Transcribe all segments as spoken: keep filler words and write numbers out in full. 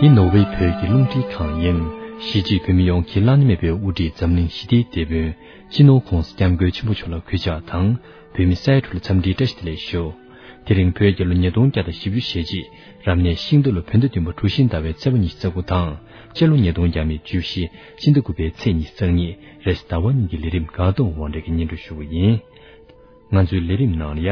འདི་ནོར་ཝེ་བོད་ཀྱི་རླུང་འཕྲིན་ཁང་ཡིན། གཞིས་བྱེས་བོད་མི་ཡོངས་ཀྱི་བླ་ན་མེད་པའི་དབུ་ཁྲིད་འཛམ་གླིང་ཞི་བདེའི་དེད་དཔོན་སྤྱི་ནོར་༧གོང་ས་༧སྐྱབས་མགོན་ཆེན་པོ་མཆོག་ལ་གུས་ཕྱག་དང་། བོད་མི་ས་ཡ་དྲུག་ལ་འཚམས་འདྲིའི་བཀྲ་ཤིས་བདེ་ལེགས་ཞུ། དེ་རིང་བོད་རྒྱལ་ལོ་ཉིས་སྟོང་བརྒྱ་དང་བཞི་བཅུ་ཞེ་གཅིག་རབ་གནས་ཤིང་རྟ་ལོ་བོད་ཟླ་བདུན་པ་གྲུ་བཞི་ཟླ་བའི་ཚེས་པ་ཉི་ཤུ་རྩ་དགུ་དང་། སྤྱི་ལོ་ཉིས་སྟོང་བརྒྱ་མེད་བཅུ་བཞི་ཕྱི་ཟླ་དགུ་པའི་ཚེས་ཉི་ཤུ་རྩ་གཉིས་རེས་གཟའ་ཟླ་བ་ཉིན་གྱི་ལས་རིམ་འགག་གདོང་དབང་གྲགས་ཀྱིས་སྙན་སྒྲོན་ཞུ་གི་ཡིན། ང་ཚོའི་ལས་རིམ་ནང་ལ་ཡ།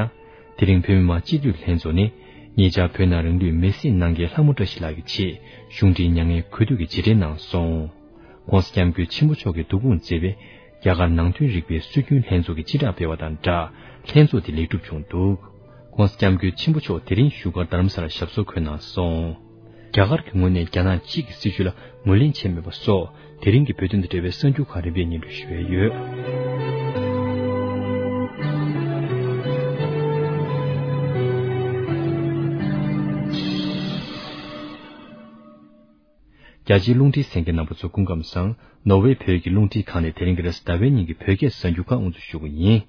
དེ་རིང་བོད་མི་མང་སྤྱི་འཐུས་ལྷན་ཚོགས་ནས་ཉེ་ཆར་བོད་ནང་རང་ལུས་མེར་སྲེག་གནང་མཁན་ལྷ་མོ་བཀྲ་ཤིས་ལགས་ཀྱི་ཆེད་གཞུང་འབྲེལ་མྱ་ངན་གུས་འདུད་ཀྱི་རྗེས་དྲན་གནང་སོང་། ༸གོང་ས་༸སྐྱབས་མགོན་ཆེན་པོ་མཆོག་གིས་བསྡུ་སྐོང་མཛད་པའི་རྒྱ་གར་ནང་དོན་རིག་པའི་སྲོལ་རྒྱུན་ལྷན་ཚོགས་ཀྱི་སྤྱི་བསྒྲགས་སྤེལ་བ་དང་སྦྲགས་ལྷན་ཚོགས་དེ་ལེགས་གྲུབ་བྱུང་འདུག ༸གོང་ས་༸སྐྱབས་མགོན་ཆེན་པོ་མཆོག་དེ་རིང་བཞུགས་སྒར་རྡ་རམ་ས་ལར་ཞབས་སོར་འཁོད་གནང་སོང་། རྒྱ་གར་གྱི་ངོས་ནས་རྒྱ་ནག་གཅིག་གི་སྲིད་བྱུས་ལ་ངོས་ལེན་བྱས་མེད་པ་སོགས་དེ་རིང་གི་བོད་དོན་དང་འབྲེལ་བའི་གསར་འགྱུར་ཁག་རིམ་པས་སྙན་སྒྲོན་ཞུ་ཡས་ཡོད། རྒྱ་ཆེའི་རླུང་འཕྲིན་གསན་མཁན་རྣམ་པ་ཚོ་སྐུ་ཁམས་བཟང་། ནོར་ཝེ་བོད་ཀྱི་རླུང་འཕྲིན་ཁང་ནས་དེ་རིང་གི་རེས་གཟའ་ཟླ་བའི་ཉིན་གྱི་བོད་སྐད་གསར་འགྱུར་ཁག་དབུ་འཛུགས་ཞུ་གི་ཡིན།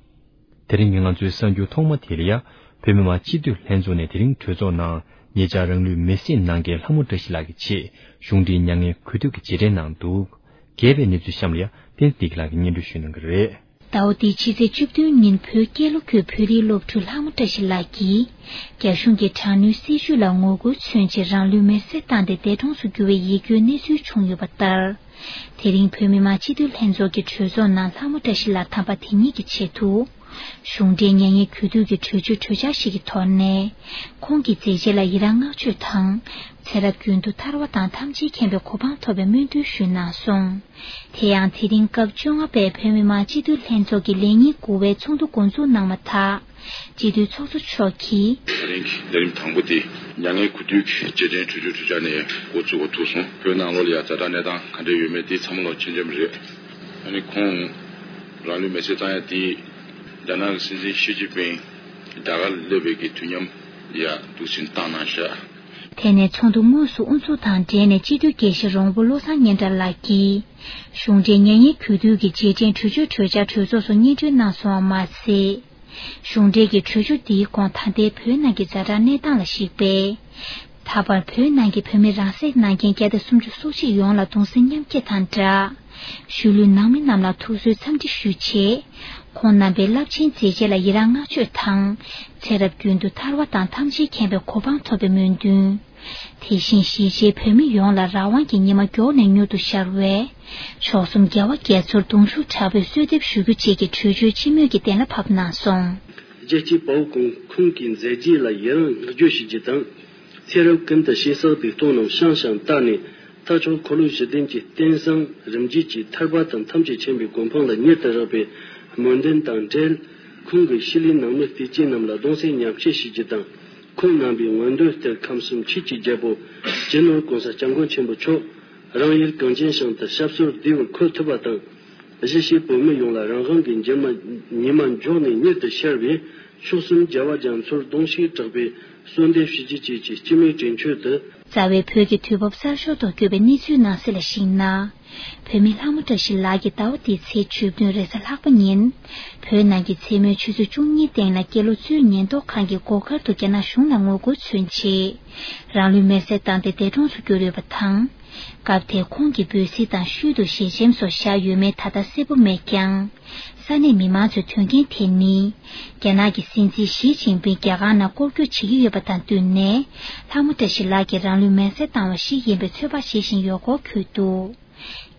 དེ་རིང་གི་ང་ཚོའི་གསར་འགྱུར་ཐོག་མ་དེ་ལ་ཡ། བོད་མི་མང་སྤྱི་འཐུས་ལྷན་ཚོགས་ནས་དེ་རིང་གྲོས་ཚོགས་ནང་ཉེ་ཆར་རང་ལུས་མེར་སྲེག་གནང་མཁན་ལྷ་མོ་བཀྲ་ཤིས་ལགས་ཀྱི་ཆེད་གཞུང་འབྲེལ་མྱ་ངན་གུས་འདུད་ཀྱི་རྗེས་དྲན་གནང་འདུག་རྒྱས་པའི་གནས་ཚུལ་གཤམ་ལ་ཡ་བསྟན་འཛིན་བདེ་སྐྱིད་ལགས་ཀྱིས་སྙན་སྒྲོན་ཞུ་གནང་གི་རེད། ཟླ་བ་འདིའི་ཕྱི་ཚེས་བཅུ་བདུན་ཉིན་བོད་རྒྱལ་ལོ་དགུའི་བོད་རིགས་སློབ་ཕྲུག་ལྷ་མོ་བཀྲ་ཤིས་ལགས་ཀྱིས་རྒྱ་གཞུང་གི་དྲག་གནོན་སྲིད་བྱུས་ལ་ངོ་རྒོལ་མཚོན་ཆེད་རང་ལུས་མེར་སྲེག་བཏང་སྟེ་འདས་གྲོངས་སུ་གྱུར་བའི་ཡིད་སྐྱོའི་གནས་ཚུལ་བྱུང་ཡོད་པ་ལྟར། དེ་རིང་བོད་མི་མང་སྤྱི་འཐུས་ལྷན་ཚོགས་ཀྱི་གྲོས་ཚོགས་ནང་ལྷ་མོ་བཀྲ་ཤིས་ལགས་དམ་པ་དེ་ཉིད་ཀྱི་ཆེད་དུ། གཞུང་འབྲེལ་མྱ་ངན་གུས་འདུད་ཀྱི་གྲོས་ཆོད་གྲོས་འཆར་ཞིག་གི་ཐོག་ནས། ཁོང་གི་མཛད་རྗེས་ལ་ཡི་རང་བསྔགས་བརྗོད་དང་། ཚེ་རབས་རྒྱུན་དུ་ཐར་བ་དང་ཐམས་ཅད་མཁྱེན་པའི་གོ་འཕང་ཐོབ་པའི་སྨོན་འདུན་ཞུས་གནང་སོང་། དེ་ཡང་དེ་རིང་སྐབས་བཅོ་ལྔ་པའི་བོད་མི་མང་སྤྱི་འཐུས་ལྷན་ཚོགས་ཀྱི་ལས་ཉིན་དགུ་པའི་ཚོགས་འདུ་འགོ་འཛུགས་གནང་བ་དང་། སྤྱི་འཐུས་ཚོགས་གཙོ་མཆོག་གིས། དེ་རིང་གི་ལས་རིམ་དང་པོ་དེ་མྱ་ངན་གུས་འདུད་ཀྱི་རྗེས་དྲན་གྲོས་ཆོད་གྲོས་འཆར་ནས་འགོ་བཙུགས་པ་ཐུག་སོང་། བོད་ནང་ལོགས་ལ་ཡང་ཛ་དྲག་གནས་སྟངས་ག་འདྲ་ཡོད་མེད་དེ་ཚང་མ་ལོག་མཁྱེན་མཁྱེན་པ་རེད། ཨ་ནི་ཁོང་རང་ལུས་མེར་སྲེག་བཏང་ཡ་དེ་རྒྱ་ནག་གི་སྲིད་འཛིན་ཞི་ཅིན་ཕིང་རྒྱ་གར་ལ་སླེབས་པའི་གི་དུས་མཉམ་ཡ་འདུག་སེ་བཏང་གནང་ཤག་དེ་ནས་ཚོགས་འདུ་དངོས་སུ་དབུ་འཛུགས་དང་འབྲེལ་ནས་སྤྱི་འཐུས་དགེ་བཤེས་རོང་པོ་བློ་བཟང་སྙན་གྲགས་ལགས་ཀྱིས། གཞུང་འབྲེལ་མྱ་ངན་གུས་འདུད་ཀྱི་རྗེས་དྲན་གྲོས་ཆོད་གྲོས་འཆར་གྲོས་ཚོགས་སུ་སྙན་སྒྲོན་གནང་སོང་བ་མ་ཟད། གཞུང་འབྲེལ་གྱི་གྲོས་ཆོད་འདིའི་གོང་ད་ལྟའི་བོད་ནང་གི་ཛ་དྲག་གནས་སྟངས་ལ་གཞིགས་པས། ད་བར་བོད་ནང་གི་བོད་མི་རང་སྲེག་གནང་མཁན་བརྒྱ་དང་སུམ་ཅུ་སོ་གཅིག་ཡོངས་ལ་གདུང་སེམས་མཉམ་སྐྱེད་དང་སྦྲགས། ཤུལ་ལུས་ནང་མི་རྣམས་ལ་ཐུགས་གསོའི་འཚམས་འདྲི་ཞུས་རྗེས། ཁོང་རྣམ་པའི་རླབས་ཆེན་མཛད་རྗེས་ལ་ཡི་རང་བསྔགས་བརྗོད་དང་། ཚེ་རབས་རྒྱུན་དུ་ཐར་བ་དང་ཐམས་ཅད་མཁྱེན་པའི་གོ་འཕང་ཐོབ་པའི་སྨོན་འདུན། དེ་བཞིན་གཞིས་བྱེས་བོད་མི་ཡོངས་ལ་རང་དབང་གི་ཉི་མ་མགྱོགས་ནས་མྱུར་དུ་ཤར་བའི། མཆོག་གསུམ་རྒྱལ་བ་རྒྱ་མཚོར་གདུང་ཤུགས་དྲག་པོས་གསོལ་འདེབས་ཞུ་རྒྱུ་བཅས་ཀྱི་གྲོས་ཆོད་སྤྱི་མོས་ཀྱིས་གཏན་ལ་ཕབ་གནང་སོང་། རྒྱལ་གཅེས་དཔའ་བོ་ཀུན་ཁོང་གི་མཛད་རྗེས་ལ་ཡི་རང་བསྔགས་བརྗོད་ཞུ་རྒྱུ་དང་། ཚེ་རབས་ཀུན་ཏུ་ཞེ་བསགས་སྡིག་ལྟུང་རྣམས་ཤང་ཤང་བཏགས་ནས། མཐའ་མཆོག་འཁོར་ལོ་བཞི་ལྡན་གྱི་རྟེན་བཟང་རིམ་བརྒྱུད་ཀྱི་ཐར་པ་དང་ཐམས་ཅད་མཁྱེན་པའི་གོ་འཕང་ལ་མྱུར་དུ་རག་པའི་སྨོན་འདུན་དང་འབྲེལ། ཁོང་གི་ཤུལ་ལུས་ནང་མི་བདེ་སྐྱིད་རྣམས་ལ་གདུང་སེམས་མཉམ་སྐྱེད་ཞུ་རྒྱུ་དང་། ཁོང་རྣམ་པའི་མངོན་འདོད་ལྟར་ཁམས་གསུམ་ཆོས་ཀྱི་རྒྱལ་པོ་སྤྱི་ནོར་༸གོང་ས་༸སྐྱབས་མགོན་ཆེན་པོ་མཆོག་རང་ཡུལ་གངས་ཅན་ཞིང་དུ་ཞབས་སོར་བདེ་བར་འཁོད་ཐུབ་པ་དང་། གཞིས་བྱེས་བོད་མི་ཡོངས་ལ་རང་དབང་གི་འགྱུར་མ་ཉི་མ་མགྱོགས་ནས་མྱུར་དུ་ཤར་བའི་མཆོག་གསུམ་རྒྱལ་བ་རྒྱ་མཚོར་གདུང་ཤུགས་དྲག་པོས་གསོལ་འདེབས་ཞུ་རྒྱུ་བཅས་ཀྱི་སྤྱི་མོས་དྲན་ཆོད་དུ། རྩ་བའི་བོད་ཀྱི་དུས་བབ་གསར་ཤོས་ཐོག་བཀོད་པའི་གནས་ཚུལ་ནང་གསལ་ལ་གཞིགས་ན། བོད་མི་ལྷ་མོ་བཀྲ་ཤིས་ལགས་ཀྱིས་ཟླ་བ་འདིའི་ཚེས་བཅུ་བདུན་རེས་གཟའ་ལྷག་པ་ཉིན། བོད་ནང་གི་མཚན་མོའི་ཆུ་ཚོད་བཅུ་གཉིས་སྟེང་ལ་སྐྱེས་ལོ་གཙོས་ཉེན་རྟོག་ཁང་གི་སྒོ་ཁར་དུ་རྒྱ་ནག་གཞུང་ལ་ངོ་རྒོལ་མཚོན་ཆེད། རང་ལུས་མེར་སྲེག་བཏང་སྟེ་འདས་གྲོངས་སུ་གྱུར་ཡོད་པ་དང་། སྐབས་དེར་ཁོང་གི་འབོད་ཚིག་དང་ཤུལ་དུ་ཞལ་ཆེམས་སོགས་བཞག་ཡོད་མེད་ད་ལྟ་གསལ་པོ་མེད་ཀྱང་། ས་གནས་མི་མང་ཚོས་དོན་རྐྱེན་དེ་ནི། རྒྱ་ནག་གི་སྲིད་འཛིན་ཞི་ཅིན་ཕིང་རྒྱ་གར་ནང་སྐོར་སྐྱོད་བྱེད་ཀྱི་ཡོད་པ་དང་བསྟུན་ནས། ལྷ་མོ་བཀྲ་ཤིས་ལགས་ཀྱིས་རང་ལུས་མེར་སྲེག་བཏང་བ་ཞིག་ཡིན་པའི་ཚོད་དཔག་བྱེད་བཞིན་ཡོད་སྐོར་འཁོད་འདུག་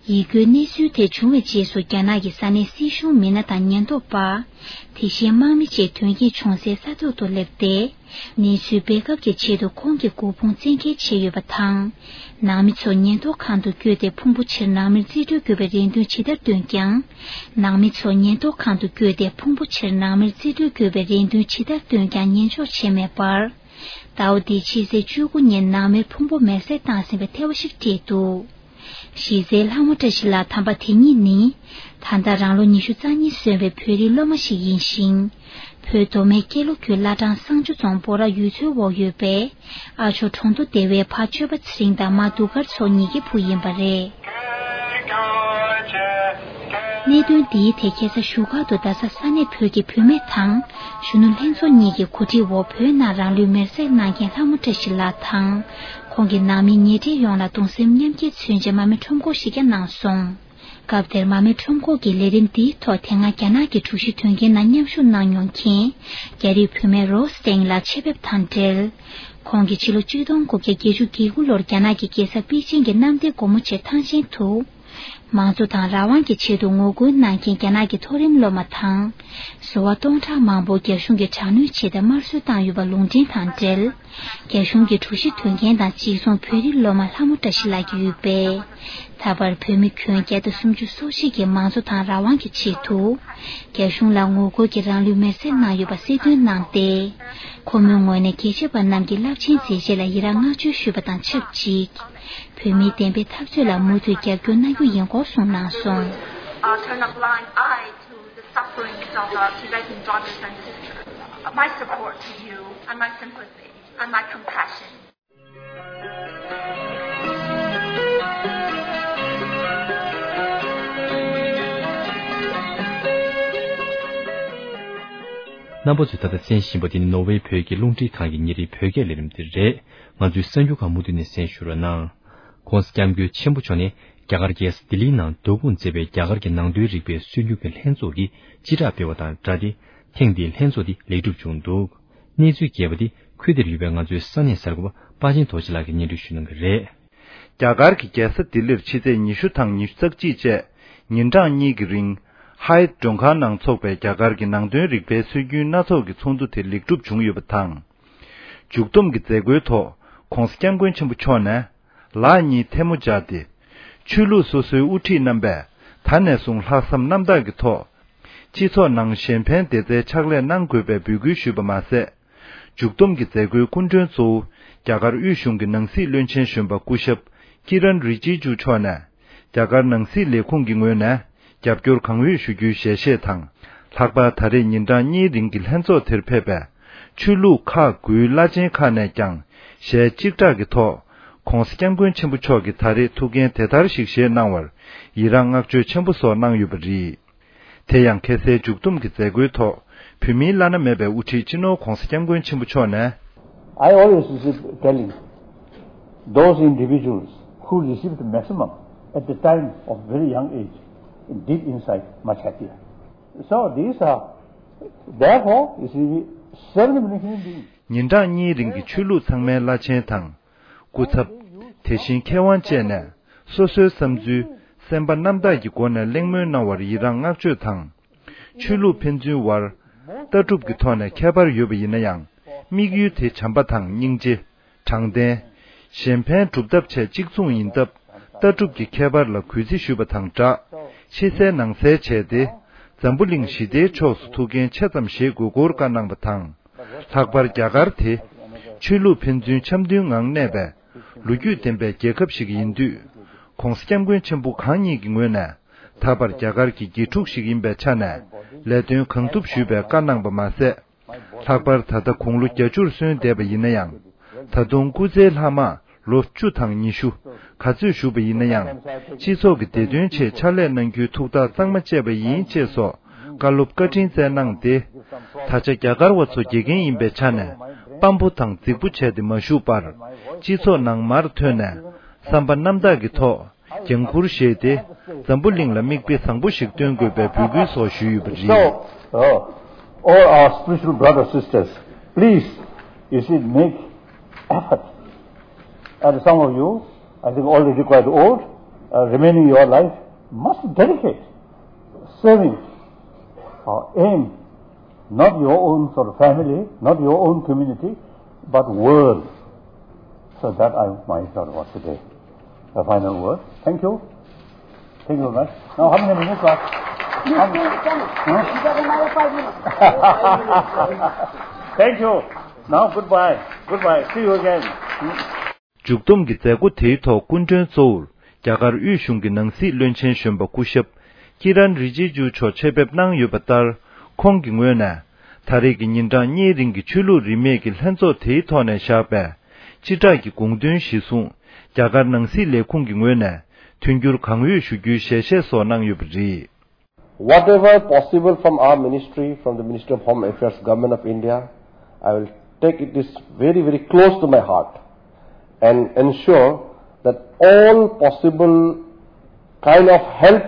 ཡིད་སྐྱོའི་གནས་ཚུལ་དེ་བྱུང་བའི་རྗེས་སུ་རྒྱ་ནག་གི་ས་གནས་སྲིད་གཞུང་མི་སྣ་དང་ཉེན་རྟོག་པ། དེ་བཞིན་དམག་མི་བཅས་དོན་རྐྱེན་བྱུང་སའི་ས་ཐོག་ཏུ་སླེབས་ཏེ། གནས་ཚུལ་སྤེལ་ཁབ་ཀྱི་ཆེད་དུ་ཁོང་གི་སྐུ་ཕུང་བཙན་འཁྱེར་བྱས་ཡོད་པ་དང་། ནང་མི་ཚོ་ཉེན་རྟོག་ཁང་དུ་བསྐྱོད་དེ་ཕུང་པོ་ཕྱིར་ནང་མིར་རྩིས་སྤྲོད་དགོས་པའི་རེ་འདུན་ཇི་ལྟར་བཏོན་ཀྱང་། ནང་མི་ཚོ་ཉེན་རྟོག་ཁང་དུ་བསྐྱོད་དེ་ཕུང་པོ་ཕྱིར་ནང་མིར་རྩིས་སྤྲོད་དགོས་པའི་རེ་འདུན་ཇི་ལྟར་བཏོན་ཀྱང་ཉན་འཇོག་བྱས་མེད་པར། ཟླ་བ་འདིའི་ཕྱི་ཚེས་བཅུ་དགུ་ཉིན་ནང་མིར་ཕུང་པོ་མེར་སྲེག་བཏང་ཟིན་པའི་ཐེར་བ་ཞིག་སྤྲད་འདུག་གཞི་རྩའི་ལྷ་མོ་བཀྲ་ཤིས་ལགས་དམ་པ་དེ་ཉིད་ནི། ད་ལྟ་རང་ལོ་ཉི་ཤུ་རྩ་གཉིས་སོན་པའི་བོད་རིགས་སློབ་མ་ཞིག་ཡིན་ཞིང་། བོད་མདོ་སྨད་ཀན་ལྷོ་ཁུལ་བླ་བྲང་བསང་ཆུ་རྫོང་སྤོ་ར་ཡུལ་ཚོའི་འོག་ཡོད་པའི་ཨ་ཇོ་གྲོང་དུ་སྡེ་བའི་ཕ་ཆོས་པ་ཚེ་རིང་དང་མ་གདུགས་དཀར་མཚོ་གཉིས་ཀྱི་བུ་ཡིན་པ་རེད། གནད་དོན་འདིའི་ཐད་ཁ་སང་བཞུགས་སྒར་དུ་རྡ་ས་ས་གནས་བོད་ཀྱི་བུད་མེད་དང་གཞོན་ནུ་ལྷན་ཚོགས་གཉིས་ཀྱི་གོ་སྒྲིག་འོག་བོད་ནང་རང་ལུས་མེར་སྲེག་གནང་མཁན་ལྷ་མོ་བཀྲ་ཤིས་ལགས་དང་། ཁོང་གི་ནང་མི་ཉེ་འབྲེལ་ཡོངས་ལ་གདུང་སེམས་མཉམ་སྐྱེད་མཚོན་ཆེད་མར་མེ་ཁྲོམ་སྐོར་ཞིག་ཀྱང་གནང་སོང་། སྐབས་དེར་མར་མེ་ཁྲོམ་སྐོར་གྱི་ལས་རིམ་འདིའི་ཐོག་དེ་སྔ་རྒྱ་ནག་གི་དྲུག་བཞི་དོན་རྐྱེན་ནང་མཉམ་ཞུགས་གནང་མྱོང་མཁན། རྒྱ་རིགས་བུད་མེད་རོ་སི་ཏེང་ལགས་ཆེད་ཕེབས་དང་འབྲེལ། ཁོང་གིས་ཕྱི་ལོ་ཆིག་སྟོང་དགུ་བརྒྱ་བརྒྱད་ཅུ་གྱ་དགུ་ལོར་རྒྱ་ནག་གི་རྒྱལ་ས་པེ་ཅིང་གི་གནམ་བདེ་སྒོ་མོ་ཆེ་ཐང་ཆེན་དུ། མང་གཙོ་དང་རང་དབང་གི་ཆེད་དུ་ངོ་རྒོལ་གནང་མཁན་རྒྱ་ནག་གི་མཐོ་རིམ་སློབ་མ་དང་། ཟུར་པ་སྟོང་ཕྲག་མང་པོ་རྒྱ་གཞུང་གིས་དྲག་གནོན་བྱས་ཏེ་དམར་གསོད་བཏང་ཡོད་པ་ལུང་འདྲེན་དང་འབྲེལ། རྒྱ་གཞུང་གིས་དྲུག་བཞི་དོན་རྐྱེན་དང་གཅིག་མཚུངས་བོད་རིགས་སློབ་མ་ལྷ་མོ་བཀྲ་ཤིས་ལགས་ཀྱི་ཡུལ་དཔལ། ད་བར་བོད་མི་ཁྱོན་བརྒྱ་དང་སུམ་ཅུ་སོ་གཅིག་གིས་མང་གཙོ་དང་རང་དབང་གི་ཆེད་དུ། རྒྱ་གཞུང་ལ་ངོ་རྒོལ་གྱིས་རང་ལུས་མེར་སྲེག་གནང་ཡོད་པ་གསལ་སྟོན་གནང་སྟེ། ཁོ་མོའི་ངོས་ནས་རྒྱལ་གཅེས་པ་རྣམས་ཀྱི་རླབས་ཆེན་མཛད་རྗེས་ལ་ཡི་རངས་བསྔགས་བརྗོད་ཞུས་པ་དང་ཆབས་ཅིག་བོད་མིའི་བདེན་པའི་འཐབ་རྩོད་ལ་མུ་མཐུད་རྒྱབ་སྐྱོར་གནང་རྒྱུ་ཡིན་སྐོར་གསུངས་གནང་སོང་། I'll turn a blind eye to the sufferings of our Tibetan brothers and sisters. My support to you and my sympathy and my compassion. རྣམ་པ་ཚོས་ད་ལྟ་གསན་བཞིན་པ་དེ་ནི་ནོར་ཝེ་བོད་ཀྱི་རླུང་འཕྲིན་ཁང་གི་ཉིན་རེའི་བོད་སྐད་ལས་རིམ་དེ་རེད། ང་ཚོའི་གསར་འགྱུར་ཁག་མུ་མཐུད་ནས་གསན་ཞུ་རོགས་གནང་། ༸གོང་ས་༸སྐྱབས་མགོན་ཆེན་པོ་མཆོག་ནས་རྒྱ་གར་རྒྱལ་ས་ལྡི་ལིའི་ནང་སྡོད་ཁུངས་མཛད་པའི་རྒྱ་གར་གྱི་ནང་དོན་རིག་པའི་སྲོལ་རྒྱུན་གྱི་ལྷན་ཚོགས་ཀྱིས་སྤྱི་བསྒྲགས་སྤེལ་བ་དང་སྦྲགས་ཏེ། ཐེངས་འདིའི་ལྷན་ཚོགས་འདི་ལེགས་གྲུབ་བྱུང་འདུག་གནས་ཚུལ་རྒྱས་པ་འདི་ཁུལ་དེར་ཡོད་པའི་ང་ཚོའི་ས་གནས་གསར་འགོད་པ་པ་ཅིན་རྡོ་རྗེ་ལགས་ཀྱིས་སྙན་སྒྲོན་ཞུ་གནང་གི་རེད། རྒྱ་གར་གྱི་རྒྱལ་ས་ལྡི་ལིར་ཕྱི་ཚེས་ཉི་ཤུ་དང་ཉི་ཤུ་རྩ་གཅིག་བཅས་ཉིན་གྲངས་གཉིས་ཀྱི་རིང་། ཧའེ་ཊི་མགྲོན་ཁང་ནང་འཚོགས་པའི་རྒྱ་གར་གྱི་ནང་དོན་རིག་པའི་སྲོལ་རྒྱུན་སྣ་ཚོགས་ཀྱི་ཚོགས་འདུ་དེ་ལེགས་གྲུབ་བྱུང་ཡོད་པ་དང་། མཇུག་བསྡོམས་ཀྱི་མཛད་སྒོའི་ཐོག་༸གོང་ས་༸སྐྱབས་མགོན་ཆེན་པོ་མཆོག་ནས། ལག་གཉིས་ཐལ་མོ་སྦྱར་ཏེ། ཆོས་ལུགས་སོ་སོའི་དབུ་ཁྲིད་རྣམ་པས་ད་ནས་བཟུང་ལྷག་བསམ་རྣམ་དག་གི་ཐོག་སྤྱི་ཚོགས་ནང་གཞན་ཕན་བདེ་རྩའི་ཕྱག་ལས་གནང་དགོས་པའི་འབོད་སྐུལ་ཞུས་པ་མ་ཟད། མཇུག་བསྡོམས་ཀྱི་མཛད་སྒོའི་སྐུ་མགྲོན་གཙོ་བོ་རྒྱ་གར་དབུས་གཞུང་གི་ནང་སྲིད་བློན་ཆེན་གཞོན་པ་སྐུ་ཞབས་ཀི་རན་རི་ཇི་ཇུ་མཆོག་ནས། རྒྱ་གར་ནང་སྲིད་ལས་ཁུངས་ཀྱི་ངོས་ནས་རྒྱབ་སྐྱོར་གང་འོས་ཞུ་རྒྱུའི་ཞལ་བཞེས་དང་། ལྷག་པར་ད་རེས་ཉིན་གྲངས་གཉིས་རིང་གི་ལྷན་ཚོགས་དེར་ཕེབས་པའི་ཆོས་ལུགས་ཁག་དགུའི་བླ་ཆེན་ཁག་ནས་ཀྱང་ཞལ་གཅིག་གྲགས་ཀྱི་ཐོག ༸གོང་ས་༸སྐྱབས་མགོན་ཆེན་པོ་མཆོག་གིས་ད་རེས་ཐུགས་འགན་དེ་ལྟར་ཞིག་བཞེས་གནང་བར་ཡི་རངས་བསྔགས་བརྗོད་ཆེན་པོ་སོགས་གནང་ཡོད་པ་རེད། དེ་ཡང་ཁ་སང་མཇུག་བསྡོམས་ཀྱི་མཛད་སྒོའི་ཐོག་བོད་མིའི་བླ་ན་མེད་པའི་དབུ་ཁྲིད་སྤྱི་ནོར་༸གོང་ས་༸སྐྱབས་མགོན་ཆེན་པོ་མཆོག་ནས། I always keep telling those individuals who received the maximum at the time of very young age, deep inside, much happier. So these are, therefore, you see, seven million human beings. ཉིན་གྲངས་གཉིས་རིང་གི་ཆོས་ལུགས་ཚང་མའི་བླ་ཆེན་དང་། སྐུ་ཚབ། དེ་བཞིན་མཁས་དབང་བཅས་ནས་སོ་སོའི་བསམ་ཚུལ་སེམས་པ་རྣམ་དག་གི་སྒོ་ནས་གླེང་མོལ་གནང་བར་ཡི་རངས་བསྔགས་བརྗོད་དང་། ཆོས་ལུགས་ཕན་ཚུན་དབར་ལྟ་གྲུབ་ཀྱི་ཐོག་ནས་ཁྱད་པར་ཡོད་པ་ཡིན་ན་ཡང་། དམིགས་ཡུལ་དེ་བྱམས་པ་དང་སྙིང་རྗེ། དྲང་བདེན། གཞན་ཕན་སྒྲུབ་ཐབས་བཅས་གཅིག་མཚུངས་ཡིན་སྟབས། ལྟ་གྲུབ་ཀྱི་ཁྱད་པར་ལ་གུས་བརྩི་ཞུས་པ་དང་སྦྲགས། ཕྱི་གསལ་ནང་གསལ་བྱས་ཏེ། འཛམ་བུ་གླིང་ཞི་བདེའི་ཕྱོགས་སུ་ཐུགས་འགན་ཆེ་ཙམ་བཞེས་དགོས་སྐོར་བཀའ་གནང་བ་དང་། ལྷག་པར་རྒྱ་གར་དེ། ཆོས་ལུགས་ཕན་ཚུན་འཆམ་མཐུན་ངང་གནས་པའི་ལོ་རྒྱུས་ལྡན་པའི་རྒྱལ་ཁབ་ཞིག་ཡིན་དུས། ༸གོང་ས་༸སྐྱབས་མགོན་ཆེན་པོ་གང་ཉིད་ཀྱི་ངོས་ནས་ད་བར་རྒྱ་གར་གྱི་དགེ་ཕྲུག་ཞིག་ཡིན་པའི་ཆ་ནས་ལས་དོན་གང་ཐུབ་ཞུས་པའི་བཀའ་གནང་བ་མ་ཟད། ལྷག་པར་ད་ལྟ་དགུང་ལོ་བརྒྱད་ཅུར་སོན་བསྡད་པ་ཡིན་ན་ཡང་། ད་དུང་སྐུ་ཚེའི་ལྷག་མ་ལོ་བཅུ་དང་ཉི་ཤུ་ག་ཚོད་བཞུགས་པ་ཡིན་ན་ཡང་། སྤྱི་ཚོགས་ཀྱི་བདེ་དོན་ཆེད་ཕྱག་ལས་གནང་རྒྱུའི་ཐུགས་ཐག་གཙང་མ་བཅད་པ་ཡིན་ཅེས་སོགས་བཀའ་སློབ་བཀའ་དྲིན་སྩལ་གནང་སྟེ། ད་ཆ་རྒྱ་གར་བ་ཚོ་དགེ་རྒན་ཡིན་པའི་ཆ་ནས་དཔའ་པོ་དང་རྫིག་པོ་བྱས་ཏེ་མ་བཞུགས་པར། སྤྱི་ཚོགས་ནང་མར་ཐོན་ནས་བསམ་པ་རྣམ་དག་གི་ཐོག་འགན་འཁུར་བཞེས་ཏེ། འཛམ་བུ་གླིང་ལ་མིག་དཔེ་བཟང་པོ་ཞིག་སྟོན་དགོས་པའི་འབོད་སྐུལ་སོགས་ཞུས་ཡོད་པ་རེད། So, uh, all our spiritual brothers, sisters, please, you see, make effort. And some of you, I think, already quite old, uh, remaining your life, must dedicate, serving, uh, aim, not your own sort of family, not your own community, but world. So that I might talk about today. A final word. Thank you. Thank you very much. Now, how many minutes left? Huh? Thank you. Now, goodbye. Goodbye. See you again. མཇུག་བསྡོམས་ཀྱི་མཛད་སྒོ་དེའི་ཐོག་སྐུ་མགྲོན་གཙོ་བོར་རྒྱ་གར་དབུས་གཞུང་གི་ནང་སྲིད་བློན་ཆེན་གཞོན་པ་སྐུ་ཞབས་ཀི་རན་རི་ཇི་ཇུ་མཆོག་ཆེད་ཕེབས་གནང་ཡོད་པ་ལྟར། ཁོང་གི་ངོས་ནས་ད་རེས་ཀྱི་ཉིན་གྲངས་གཉིས་རིང་གི་ཆོས་ལུགས་རིས་མེད་ཀྱི་ལྷན་ཚོགས་དེའི་ཐོག་ནས་བཞག་པའི་སྤྱི་བསྒྲགས་ཀྱི་དགོངས་དོན་གཞིར་བཟུང་། རྒྱ་གར་ནང་སྲིད་ལས་ཁུངས་ཀྱི་ངོས་ནས་མཐུན་འགྱུར་གང་འོས་ཞུ་རྒྱུའི་ཞལ་བཞེས་སོགས་གནང་ཡོད་པ་རེད། Whatever possible from our ministry, from the Ministry of Home Affairs, Government of India, I will take it is very, very close to my heart and ensure that all possible kind of help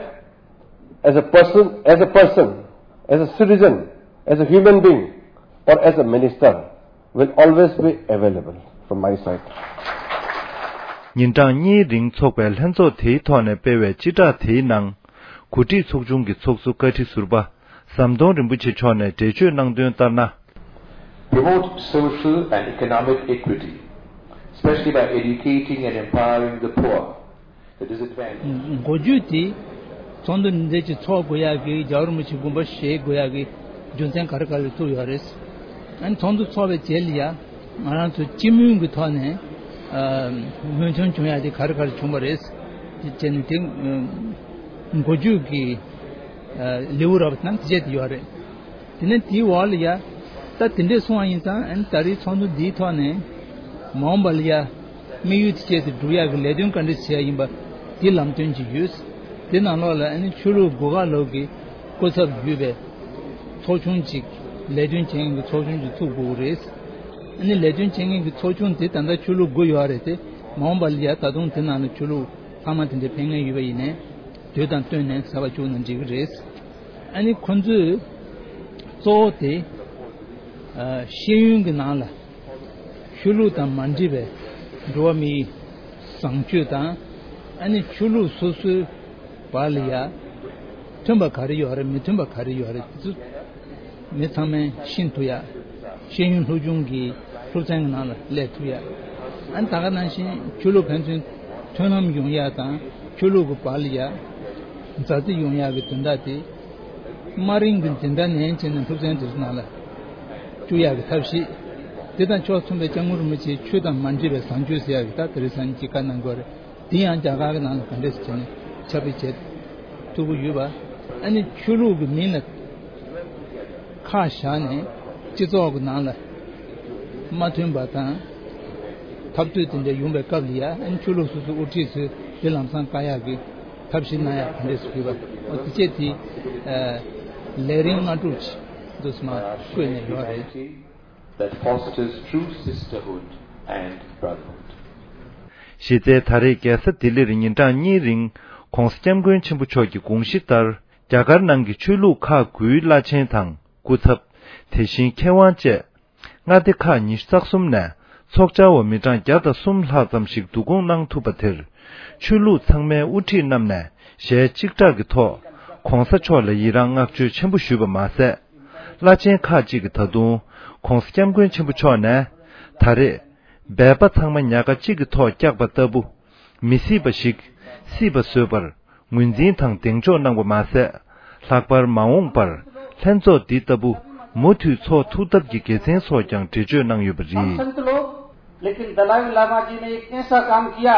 as a person, as a person, as a citizen, as a human being, or as a minister will always be available from my side. ཉིན་གྲངས་གཉིས་རིང་འཚོགས་པའི་ལྷན་ཚོགས་དེའི་ཐོག་ནས་སྤེལ་བའི་སྤྱི་བསྒྲགས་དེའི་ནང་། འགོ་ཁྲིད་ཚོགས་ཆུང་གི་ཚོགས་གཙོ་བཀའ་ཁྲི་ཟུར་པ་ཟམ་གདོང་རིན་པོ་ཆེ་མཆོག་ནས་འགྲེལ་བརྗོད་གནང་དོན་ལྟར་ན། Promote social and economic equity, especially by educating and empowering the poor, the disadvantaged. འགོ་བརྗོད་དེ་ཚོགས་འདུ་འདི་འདྲ་ཅིག་ཚོགས་དགོས་ཡག་གི་རྒྱལ་བ་རིན་པོ་ཆེ་དགོངས་པ་བཞེས་དགོས་ཡག་གི་རྒྱུ་མཚན་ག་རེ་ག་རེ་བཙུགས་ཡོད་རེད། ཨ་ནི་ཚོགས་འདུ་ཚོགས་པའི་རྗེས་ལ་ཡ་ང་རང་ཚོ་སྤྱི་མོས་ཀྱི་ཐོག་ནས་ཨ་མོས་མཐུན་བྱུང་ཡག་དེ་ག་རེ་ག་རེ་བྱུང་བ་རེད་ཅེས་ནས་དེ་འགོ་བརྗོད་ཀྱི་ཨ་ལེའུ་རབ་དང་དེ་བཅས་དེ་ཡོད་རེད། དེ་ནས་དེའི་འོག་ལ་ཡ། ད་དེ་འདྲས་སོང་བ་ཡིན་ཙང་ཨ་ནི་ད་རེས་ཚོགས་འདུ་འདིའི་ཐོག་ནས་མ་འོངས་པ་ལ་ཡ། དམིགས་ཡུལ་དེ་བཅས་དེ་སྒྲུབ་ཡག་གི་ལས་དོན་ག་འདྲས་བྱས་ཡིན་པ་དེ་ལམ་སྟོན་ཅིག་ཡོད། དེ་ནང་ལོགས་ལ་ཨ་ནི་ཆོས་ལུགས་སྒོ་ཁ་ལོག་གི་སྐུ་ཚབ་ཡོད་པའི་ཚོགས་ཆུང་ཅིག་ལས་དོན་བྱེད་མཁན་གྱི་ཚོགས་ཆུང་ཅིག་ཚུགས་དགོས་ཀྱི་རེད། ཨ་ནི་ལས་དོན་བྱེད་མཁན་གྱི་ཚོགས་ཆུང་དེ་ད་ལྟ་ཆོས་ལུགས་དགུ་ཡོད་རེད་དེ་མ་འོངས་པ་ལ་ཡ་ད་དུང་དེ་ནང་ལ་ཆོས་ལུགས་ཚང་མ་དེ་འདྲས་ཕེབས་མཁན་ཡོད་པ་ཡིན་ནའི་དུས་དང་བསྟུན་ནས་གསར་པ་བཅུག་ན་འགྲིག་གི་རེད། ཨ་ནི་ཁོ་ཚོས་གཙོ་བོ་དེ་ཨ་ཤེས་ཡོན་གྱི་ནང་ལ་ཆོས་ལུགས་དང་མ་འདྲེས་པའི་འགྲོ་བ་མིའི་བཟང་སྤྱོད་དང་ཨ་ནི་ཆོས་ལུགས་སོ་སོའི་བར་ལ་ཡ་མཐུན་པ་ག་རེ་ཡོད་རེད་མི་མཐུན་པ་ག་རེ་ཡོད་རེད་དེ་ཚོ་མི་ཚང་མས་ཤེས་ཐུབ་ཡ། ཤེས་ཡོན་སློབ་སྦྱོང་གི་སློབ་ཚན་གྱི་ནང་ལ་སླེབས་ཐུབ་ཡ། ཨ་ནི་ད་ག་ནང་བཞིན་ཆོས་ལུགས་ཕན་ཚུན་མཐུན་ལམ་ཡོང་ཡ་དང་ཆོས་ལུགས་ཀྱི་བར་ལ་ཡ་མཛའ་བརྩེ་ཡོང་ཡ་གི་དོན་དག་དེ། དམའ་རིམ་གྱི་འཛིན་གྲྭ་ནས་བྱས་ནས་སློབ་ཚན་དེ་ཚོ་ནང་ལ་བཅུག་ཡག་གི་ཐབས་ཤེས། དེ་དང་ཕྱོགས་མཚུངས་པའི་སྐྱབས་མགོན་རིན་པོ་ཆེའི་ཆོས་དང་མ་འདྲེས་པའི་བཟང་སྤྱོད་ཟེར་ཡག་གི་ད་དེ་རིང་སང་ཉིན་གྱི་བཀའ་གནང་དགོས་རེད། དེ་ཡང་རྒྱ་གར་གྱི་ནང་ལ་ག་འདྲས་སེ་བྱས་ནས་ཁྱབ་སྤེལ་བྱེད་ཐུབ་ཀྱི་ཡོད་པ། ཨ་ནི་ཆོས་ལུགས་ཀྱི་མིང་ལ་ཁག་བཞག་ནས་སྤྱི་ཚོགས་ཀྱི་ནང་ལ་མ་མཐུན་པ་དང་འཐབ་རྩོད་དེ་འདྲ་ཡོང་པའི་སྐབས་ལ་ཡ་ཨ་ནི་ཆོས་ལུགས་སོ་སོའི་དབུ་ཁྲིད་ཚོས་དེ་ལམ་སང་བཀག་ཡག་གི་ཐབས་ཤེས་གནང་ཡག་ག་འདྲས་སུ་ཕུལ་བ། འོ་དེ་བཅས་དེ་ཨ་ལས་རིམ་ལྔ་དྲུག་ཅིག་འདུག་སེ་མར་བཀོད་ནས་ཡོད་རེད། That fosters true sisterhood and brotherhood. གཞི་རྩའི་ད་རེས་རྒྱལ་ས་ལྡི་ལིར་ཉིན་གྲངས་གཉིས་རིང་༸གོང་ས་༸སྐྱབས་མགོན་ཆེན་པོ་མཆོག་གི་དགོངས་གཞི་ལྟར་རྒྱ་གར་ནང་གི་ཆོས་ལུགས་ཁག་དགུའི་བླ་ཆེན་དང་སྐུ་ཚབ། དེ་བཞིན་མཁས་དབང་བཅས། མངའ་སྡེ་ཁག་ཉི་ཤུ་རྩ་གསུམ་ནས་ཚོགས་བཅར་བ་མི་གྲངས་བརྒྱ་དང་གསུམ་ལྷག་ཙམ་ཞིག་བསྡུ་སྐོང་གནང་ཐུབ་པ་དེར། ཆོས་ལུགས་ཚང་མའི་དབུ་ཁྲིད་རྣམས་ནས་ཞལ་གཅིག་གྲགས་ཀྱི་ཐོག་༸གོང་ས་མཆོག་ལ་ཡི་རངས་བསྔགས་བརྗོད་ཆེན་པོ་ཞུས་པ་མ་ཟད། བླ་ཆེན་ཁག་ཅིག་གིས་ད་དུང་༸གོང་ས་༸སྐྱབས་མགོན་ཆེན་པོ་མཆོག་ནས། ད་རེས་སྦལ་པ་ཚང་མ་ཉག་ག་གཅིག་གི་ཐོག་བཀྱགས་པ་ལྟ་བུ། མི་སྲིད་པ་ཞིག་སྲིད་པ་བཟོས་པར། ངོས་འཛིན་དང་གདེང་འཇོག་གནང་བ་མ་ཟད། ལྷག་པར་མ་འོངས་པར་ལྷན་ཚོགས་འདི་ལྟ་བུ་མུ་མཐུད་འཚོགས་ཐུབ་ཐབས་ཀྱི་དགེ་མཚན་སོགས་ཀྱང་འགྲེལ་བརྗོད་གནང་ཡོད་པ་རེད། संत लोग, लेकिन दलाई लामा जी ने एक ऐसा काम किया,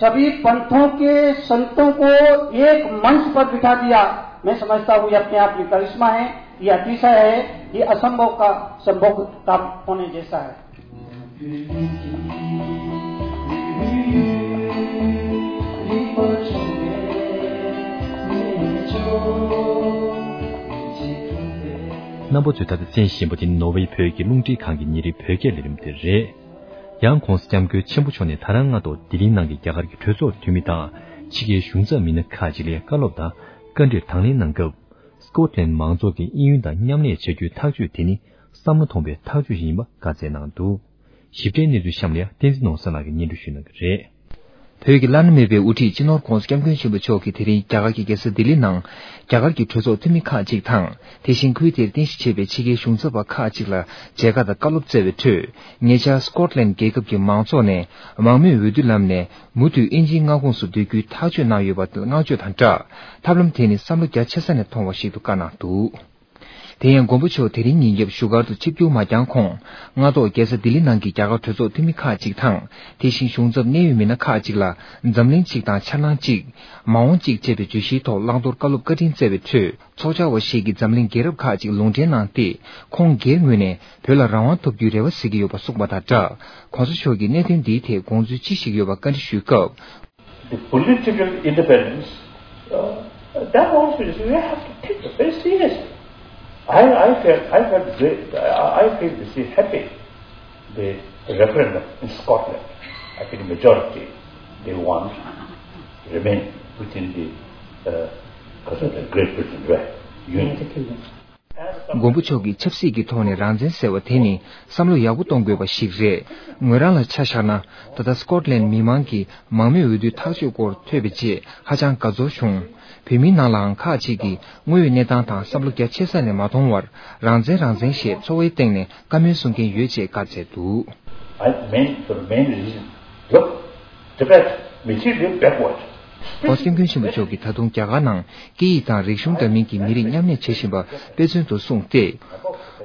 सभी पंथों के संतों को एक मंच पर बिठा दिया। मैं समझता हूँ ये अपने आप में करिश्मा है, ये अतिशय है, ये असंभव का संभव काम होने जैसा है। རྣམ་པ་ཚོས་ད་ལྟ་གསན་བཞིན་པ་དེ་ནི་ནོར་ཝེ་བོད་ཀྱི་རླུང་འཕྲིན་ཁང་གི་ཉིན་རེའི་བོད་སྐད་ལས་རིམ་དེ་རེད། ཡང་༸གོང་ས་༸སྐྱབས་མགོན་ཆེན་པོ་མཆོག་ནས་ད་རང་སྔ་ཐོག་ལྡི་ལིའི་ནང་གི་རྒྱ་གར་གྱི་གྲོས་ཚོགས་འཐུས་མི་དང་ཕྱི་རྒྱལ་གཞུང་ཚབ་མི་སྣ་ཁག་ཅིག་ལ་བཀའ་སློབ་དང་བཀའ་འདྲིར་དང་ལེན་གནང་སྐབས། སྐོཊ་ལན་མང་ཚོགས་ཀྱིས་དབྱིན་ཡུལ་དང་མཉམ་ལས་བྱ་རྒྱུའི་ཐག་གཅོད་དེ་ནི་བསམ་བློ་ཐོངས་པའི་ཐག་གཅོད་ཞིག་ཡིན་པ་བཀའ་སྩལ་གནང་འདུག་ཞིབ་ཕྲའི་གནས་ཚུལ་གཤམ་ལ་ཡང་བསྟན་འཛིན་ནོར་བཟང་ལགས་ཀྱིས་སྙན་སྒྲོན་ཞུ་གནང་གི་རེད། བོད་ཀྱི་བླ་ན་མེད་པའི་དབུ་ཁྲིད་སྤྱི་ནོར་༸གོང་ས་༸སྐྱབས་མགོན་ཆེན་པོ་མཆོག་གིས་དེ་རིང་རྒྱ་གར་གྱི་རྒྱལ་ས་ལྡི་ལི་ནང་རྒྱ་གར་གྱི་གྲོས་ཚོགས་འཐུས་མི་ཁག་ཅིག་དང་། དེ་བཞིན་ཁུལ་དེར་རྟེན་གཞི་བྱས་པའི་ཕྱི་རྒྱལ་གཞུང་ཚབ་པ་ཁག་ཅིག་ལ་མཇལ་ཁ་དང་བཀའ་སློབ་སྩལ་བའི་ཁྲོད། ཉེ་ཆར་སྐོཊ་ལན་རྒྱལ་ཁབ་ཀྱི་མང་ཚོགས་ནས་མང་མོས་འོས་བསྡུ་ལམ་ནས་མུ་མཐུད་དབྱིན་ཇིའི་མངའ་ཁོངས་སུ་སྡོད་རྒྱུའི་ཐག་གཅོད་གནང་ཡོད་པ་བསྔགས་བརྗོད་དང་སྦྲགས། ཐབས་ལམ་དེ་ནི་བསམ་བློ་རྒྱ་ཆེ་ས་ནས་མཐོང་བ་ཞིག་ཏུ་བཀའ་གནང་འདུག་དེ་ཡང་མགོན་པོ་མཆོག་དེ་རིང་ཉིན་རྒྱབ་བཞུགས་སྒར་དུ་ཆིབས་བསྒྱུར་མ་བསྐྱངས་གོང་། སྔ་ཐོག་རྒྱལ་ས་ལྡི་ལི་ནང་གི་རྒྱ་གར་གྲོས་ཚོགས་འཐུས་མི་ཁག་ཅིག་དང་། དེ་བཞིན་གཞུང་ཚབ་གནད་ཡོད་མི་སྣ་ཁག་ཅིག་ལ་འཛམ་གླིང་གཅིག་དང་འཆར་སྣང་གཅིག་མ་འོངས་གཅིག་ཅེས་པའི་བརྗོད་གཞིའི་ཐོག་བླང་དོར་བཀའ་སློབ་བཀའ་དྲིན་སྩལ་བའི་ཁྲོད། ཚོགས་བཅར་བ་ཞིག་གིས་འཛམ་གླིང་རྒྱལ་རབས་ཁག་ཅིག་ལུང་འདྲེན་གནང་སྟེ། ཁོང་སྒེར་ངོས་ནས་བོད་ལ་རང་དབང་ཐོབ་རྒྱུའི་རེ་བ་གཟིགས་ཀྱི་ཡོད་པ་གསུངས་པ་དང་སྦྲགས། གོང་ས་མཆོག་གིས་གནད་དོན་འདིའི་ཐད་དགོངས་ཚུལ་ཅི་ཞིག་ཡོད་པ་བཀའ་འདྲི་ཞུས་སྐབས། The political independence, uh, That also is, we have to take it very seriously. I, I felt, I felt great, I, I feel this is happy. The referendum in Scotland, I think majority, they want to remain within the, uh, Great Britain, right? Union. United Kingdom. མགོན་པོ་མཆོག་གིས་ཆབ་སྲིད་ཀྱི་ཐོག་ནས་རང་བཙན་ཟེར་བ་དེ་ནི་བསམ་བློ་ཡག་པོ་གཏོང་དགོས་པ་ཞིག་རེད། ངོས་རང་ལ་ཆ་བཞག་ན། ད་ལྟ་སྐོཊ་ལན་མི་མང་གིས་མང་མོས་འོས་བསྡུའི་ཐག་གཅོད་སྐོར་ཐོས་པའི་རྗེས་ཧ་ཅང་དགའ་ཚོར་བྱུང་། བོད་མིའི་ནང་ལའང་ཁག་ཅིག་གིས་དངོས་ཡོད་གནས་སྟངས་དང་བསམ་བློ་རྒྱ་ཆེ་ས་ནས་མ་མཐོང་བར་རང་བཙན་རང་བཙན་ཞེས་ཚོར་བའི་སྟེང་ནས་བཀའ་མོལ་གསུང་མཁན་ཡོད་ཅེས་བཀའ་སྩལ་འདུག I mean, the main reason. Look, Tibet, materially backward. ༸གོང་ས་༸སྐྱབས་མགོན་ཆེན་པོ་མཆོག་གིས་ད་དུང་རྒྱ་གར་ནང་སྐད་ཡིག་དང་རིག་གཞུང་འདྲ་མིན་གྱི་མི་རིགས་མཉམ་གནས་བྱེད་བཞིན་པ་དཔེ་མཚོན་དུ་གསུངས་ཏེ།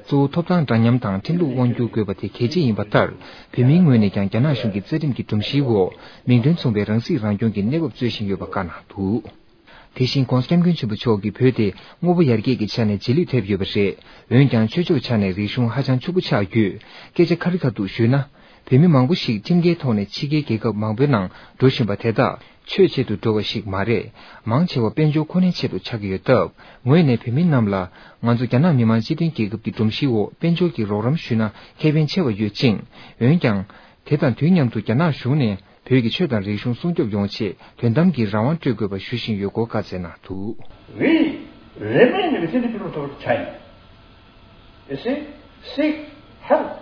གཙོ་བོ་ཐོབ་ཐང་འདྲ་མཉམ་དང་ཁྲིམས་ལུགས་དབང་སྒྱུར་དགོས་པ་དེ་གལ་ཆེ་ཡིན་པ་ལྟར། བོད་མིའི་ངོས་ནས་ཀྱང་རྒྱ་ནག་གཞུང་གི་རྩ་ཁྲིམས་ཀྱི་སྒྲོམ་གཞིའི་འོག་མིང་དོན་མཚུངས་པའི་རང་སྲིད་རང་སྐྱོང་གི་གནས་བབ་རྩོད་བཞིན་ཡོད་པ་བཀའ་གནང་འདུག་དེ་བཞིན་༸གོང་ས་༸སྐྱབས་མགོན་ཆེན་པོ་མཆོག་གིས་བོད་དེ་དངོས་པོ་ཡར་རྒྱས་ཀྱི་ཆ་ནས་རྗེས་ལུས་ཐེབས་ཡོད་པ་རེད། འོན་ཀྱང་ཆོས་ཕྱོགས་ཆ་ནས་རིག་གཞུང་ཧ་ཅང་ཕྱུག་པོ་ཆགས་ཡོད། སྐད་ཆ་ཁ་རི་ཁ་ཐུག་ཞུས་ན། བོད་མི་མང་པོ་ཞིག་ཁྲིམས་འགལ་ཐོག་ནས་ཕྱི་རྒྱལ་རྒྱལ་ཁབ་མང་པོའི་ནང་འགྲོ་བཞིན་པ་དེ་དག་ཆོས་ཆེད་དུ་འགྲོ་བ་ཞིག་མ་རེད། མང་ཆེ་བ་དཔལ་འབྱོར་ཁོ་ནའི་ཆེད་དུ་ཆགས་ཀྱི་ཡོད་སྟབས། ངོས་ནས་བོད་མི་རྣམས་ལ་ང་ཚོ་རྒྱ་ནག་མི་དམངས་སྤྱི་མཐུན་རྒྱལ་ཁབ་ཀྱི་སྒྲོམ་གཞིའི་འོག་དཔལ་འབྱོར་གྱི་རོགས་རམ་ཞུས་ན་ཁེ་ཕན་ཆེ་བ་ཡོད་ཅིང་། འོན་ཀྱང་། དེ་དང་དུས་མཉམ་དུ་རྒྱ་ནག་གཞུང་ནས་བོད་ཀྱི་ཆོས་དང་རིག་གཞུང་སྲུང་སྐྱོབ་ཡོང་ཆེད་དོན་དམ་གྱི་རང་དབང་སྤྲོད་དགོས་པ་ཞུ་བཞིན་ཡོད་སྐོར་བཀའ་སྩལ་གནང་འདུག We remain within the People's Republic of China. You see, seek help,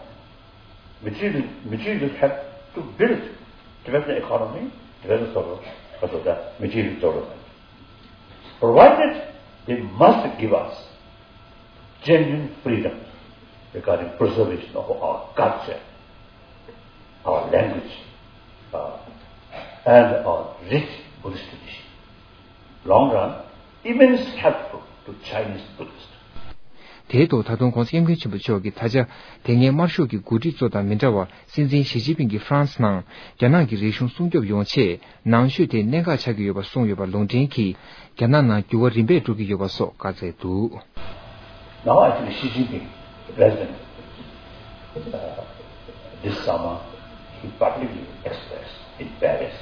material, material help to build Tibetan economy, Tibetan sort of, sort of the material development. Provided they must give us genuine freedom regarding preservation of our culture, our language, uh, and our rich Buddhist tradition. Long run, immensely helpful to Chinese Buddhists. དེའི་ཐོག་ད་དུང་༸གོང་ས་༸སྐྱབས་མགོན་ཆེན་པོ་མཆོག་གིས་ད་ཆ་དེ་སྔའི་དམར་ཤོག་གི་འགོ་ཁྲིད་ཚོ་དང་མི་འདྲ་བར་སྲིད་འཛིན་ཞི་ཅིན་ཕིང་གིས་ཧྥ་རན་སི་ནང་རྒྱ་ནག་གི་རིག་གཞུང་སྲུང་སྐྱོབ་ཡོང་ཆེད་ནང་ཆོས་དེ་གནད་འགག་ཆགས་ཀྱི་ཡོད་པ་གསུངས་ཡོད་པ་ལུང་འདྲེན་གྱིས་རྒྱ་ནག་ནང་འགྱུར་བ་རིམ་པས་འགྲོ་གི་ཡོད་པ་སོགས་བཀའ་སྩལ་འདུག Now I think Xi Jinping, President, uh, this summer, he publicly expressed in Paris,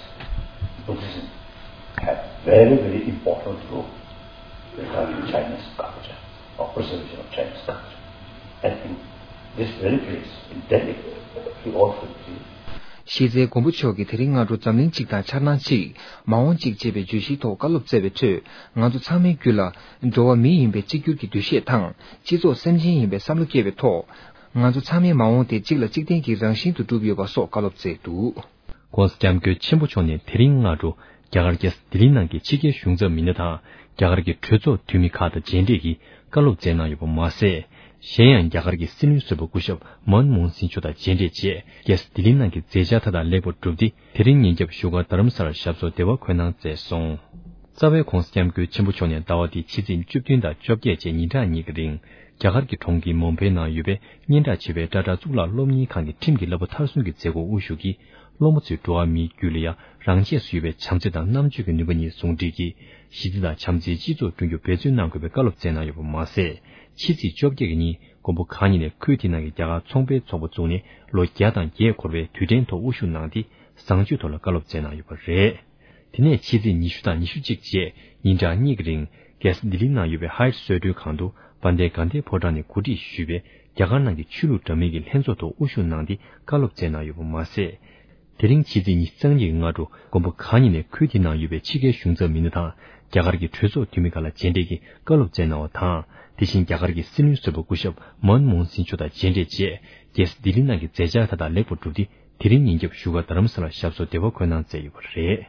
Buddhism had very, very important role regarding Chinese culture or preservation of Chinese culture. I think this very place in Delhi, he also did. གཞི་རྩའི་མགོན་པོ་མཆོག་གིས་དེ་རིང་སྔ་དྲོ་འཛམ་གླིང་གཅིག་དང་འཆར་སྣང་གཅིག་མ་འོངས་གཅིག་ཅེས་པའི་བརྗོད་གཞིའི་ཐོག་བཀའ་སློབ་སྩལ་བའི་ཁྲོད། ང་ཚོ་ཚང་མའི་རྒྱུད་ལ་འགྲོ་བ་མི་ཡིན་པའི་གཅིག་གྱུར་གྱི་འདུ་ཤེས་དང་། སྤྱི་ཚོགས་སེམས་ཅན་ཡིན་པའི་བསམ་བློ་སྐྱེས་པའི་ཐོག་ང་ཚོ་ཚང་མའི་མ་འོངས་དེ་གཅིག་ལ་གཅིག་བརྟེན་གྱི་རང་བཞིན་དུ་གྲུབ་ཡོད་པ་སོགས་བཀའ་སློབ་སྩལ་འདུག ༸གོང་ས་༸སྐྱབས་མགོན་ཆེན་པོ་མཆོག་ནས་དེ་རིང་སྔ་དྲོ་རྒྱ་གར་རྒྱལ་ས་ལྡི་ལི་ནང་གི་ཕྱི་རྒྱལ་གཞུང་ཚབ་མི་སྣ་དང་རྒྱ་གར་གྱི་གྲོས་ཚོགས་འཐུས་མི་ཁག་དང་མཇལ་འཕྲད་ཀྱིས་བཀའ་སློབ་སྩལ་གནང་ཡོད་པ་མ་ཟད། གཞན་ཡང་རྒྱ་གར་གྱི་སྲིད་བློན་ཟུར་པ་སྐུ་ཞབས་མན་མོ་ཧན་སིང་མཆོག་དང་མཇལ་འཕྲད་བྱས། རྒྱལ་ས་ལྡི་ལི་ནང་གི་མཛད་འཆར་མཐའ་དག་ལེགས་པར་གྲུབ་སྟེ། དེ་རིང་ཉིན་རྒྱབ་བཞུགས་སྒར་རྡ་རམ་ས་ལར་ཞབས་སོར་བདེ་བར་འཁོད་གནང་མཛད་སོང་། རྩ་བའི་༸གོང་ས་༸སྐྱབས་མགོན་ཆེན་པོ་མཆོག་ནས་ཟླ་བ་འདིའི་ཕྱི་ཚེས་བཅུ་བདུན་དང་བཅོ་བརྒྱད་བཅས་ཉིན་གྲངས་གཉིས་ཀྱི་རིང་རྒྱ་གར་གྱི་གྲོང་ཁྱེར་མུམ་བྷེ་ནང་ཡོད་པའི་སྙན་གྲགས་ཆེ་བའི་ཊ་ཊ་གཙུག་ལག་སློབ་གཉེར་ཁང་གི་ཁྲིམས་ཀྱི་བསླབ་པ་མཐར་སོན་གྱི་མཛད་སྒོར་དབུ་བཞུགས་ཀྱིས། སློབ་མ་ཚོས་འགྲོ་བ་མིའི་རྒྱུད་ལ་ཡང་རང་ཆས་སུ་ཡོད་པའི་བྱམས་བརྩེ་དང་རྣམ་དཔྱོད་ཀྱི་ནུས་པ་གཉིས་ཟུང་འབྲེལ་གྱིས་ཞི་བདེ་དང་བྱམས་བརྩེའི་སྤྱི་ཚོགས་བསྐྲུན་རྒྱུར་འབད་བརྩོན་གནང་དགོས་པའི་བཀའ་སློབ་སྩལ་གནང་ཡོད་པ་མ་ཟད། ཕྱི་ཚེས་བཅོ་བརྒྱད་ཀྱི་ཉིན་མགོན་པོ་གང་ཉིད་ནས་ཁུལ་དེ་ནང་གི་རྒྱ་གར་ཚོང་པའི་ཚོགས་པ་བཙུགས་ནས་ལོ་བརྒྱ་དང་བརྒྱད་འཁོར་བའི་དུས་དྲན་ཐོག་དབུ་བཞུགས་གནང་སྟེ། བཟང་སྤྱོད་ཐོག་ལ་བཀའ་སློབ་སྩལ་གནང་ཡོད་པ་རེད། དེ་ནས་ཕྱི་ཚེས་ཉི་ཤུ་དང་ཉི་ཤུ་གཅིག་བཅས་ཉིན་གྲངས་གཉིས་ཀྱི་རིང་རྒྱལ་ས་ལྡི་ལི་ནང་ཡོད་པའི་ཧའེ་ཊི་གསོལ་མགྲོན་ཁང་དུ་དཔལ་ལྡན་དགའ་ལྡན་ཕོ་བྲང་ནས་གོ་སྒྲིག་ཞུས་པའི་རྒྱ་གར་ནང་གི་ཆོས་ལུགས་འདྲ་མིན་གྱི་ལྷན་ཚོགས་ཐོག་དབུ་བཞུགས་གནང་སྟེ་བཀའ་སློབ་སྩལ་གནང་ཡོད་པ་མ་ཟད། དེ་རིང་ཕྱི་ཚེས་ཉི་ཤུ་རྩ་གཉིས་ཀྱི་སྔ་དྲོ་མགོན་པོ་གང་ཉིད་ནས་ཁུལ་དེའི་ནང་ཡོད་པའི་ཕྱི་རྒྱལ་གཞུང་ཚབ་མི་སྣ་དང་རྒྱ་གར་གྱི་གྲོས་ཚོགས་འཐུས་མི་ཁག་ལ་མཇལ་འཕྲད་ཀྱིས་བཀའ་སློབ་སྩལ་གནང་བ་དང་། དེ་བཞིན་རྒྱ་གར་གྱི་སྲིད་བློན་ཟུར་པ་སྐུ་ཞབས་མན་མོ་ཧན་སིང་མཆོག་དང་མཇལ་འཕྲད་བྱས། རྒྱལ་ས་ལྡི་ལི་ནང་གི་མཛད་འཆར་མཐའ་དག་ལེགས་པར་གྲུབ་སྟེ། དེ་རིང་ཉིན་རྒྱབ་བཞུགས་སྒར་རྡ་རམ་ས་ལར་ཞབས་སོར་བདེ་བར་འཁོད་གནང་མཛད་ཡོད་པ་རེད།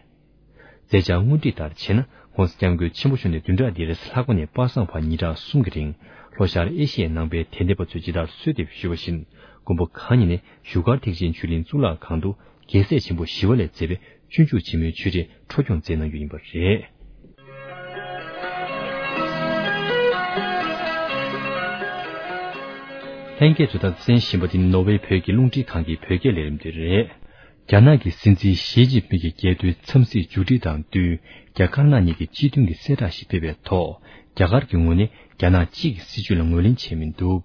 མཛད་འཆར་དངོས་བྲིས་ལྟར་བྱས་ན། ༸གོང་ས་༸སྐྱབས་མགོན་ཆེན་པོ་མཆོག་ནས་བདུན་ཕྲག་འདིའི་རེས་གཟའ་ལྷག་པ་ནས་པ་སངས་བར་ཉིན་གྲངས་གསུམ་གྱི་རིང་ལྷོ་ཤར་ཨེ་ཤི་ཡའི་ནང་པའི་དད་ལྡན་པ་ཚོས་ཇི་ལྟར་གསོལ་འདེབས་ཞུས་པ་བཞིན། མགོན་པོ་གང་ཉིད་ནས་བཞུགས་སྒར་ཐེག་ཆེན་ཆོས་གླིང་གཙུག་ལག་ཁང་དུ་རྒྱལ་སྲས་ཆེན་པོ་ཞི་བ་ལྷས་མཛད་པའི་སྤྱོད་འཇུག་ཆེན་མོའི་ཆོས་འབྲེལ་འཕྲོ་སྐྱོང་མཛད་གནང་རྒྱུ་ཡིན་པ་རེད། ལྷན་རྒྱས་ཚོས་ད་གསན་བཞིན་པ་འདི་ནོར་ཝེ་བོད་ཀྱི་རླུང་འཕྲིན་ཁང་གི་བོད་སྐད་ལས་རིམ་དེ་རེད། རྒྱ་ནག་གི་སྲིད་འཛིན་ཞི་ཅིན་ཕིང་གི་རྒྱལ་དོན་འཚམས་གཟིགས་མཇུག་སྒྲིལ་དང་བསྟུན། རྒྱ་དཀར་ནག་གཉིས་ཀྱི་སྤྱི་མཐུན་གྱི་གསལ་བསྒྲགས་ཤིག་སྤེལ་བའི་ཐོག་རྒྱ་གར་གྱི་ངོས་ནས་རྒྱ་ནག་གཅིག་གི་སྲིད་བྱུས་ལ་ངོས་ལེན་བྱས་མི་འདུག་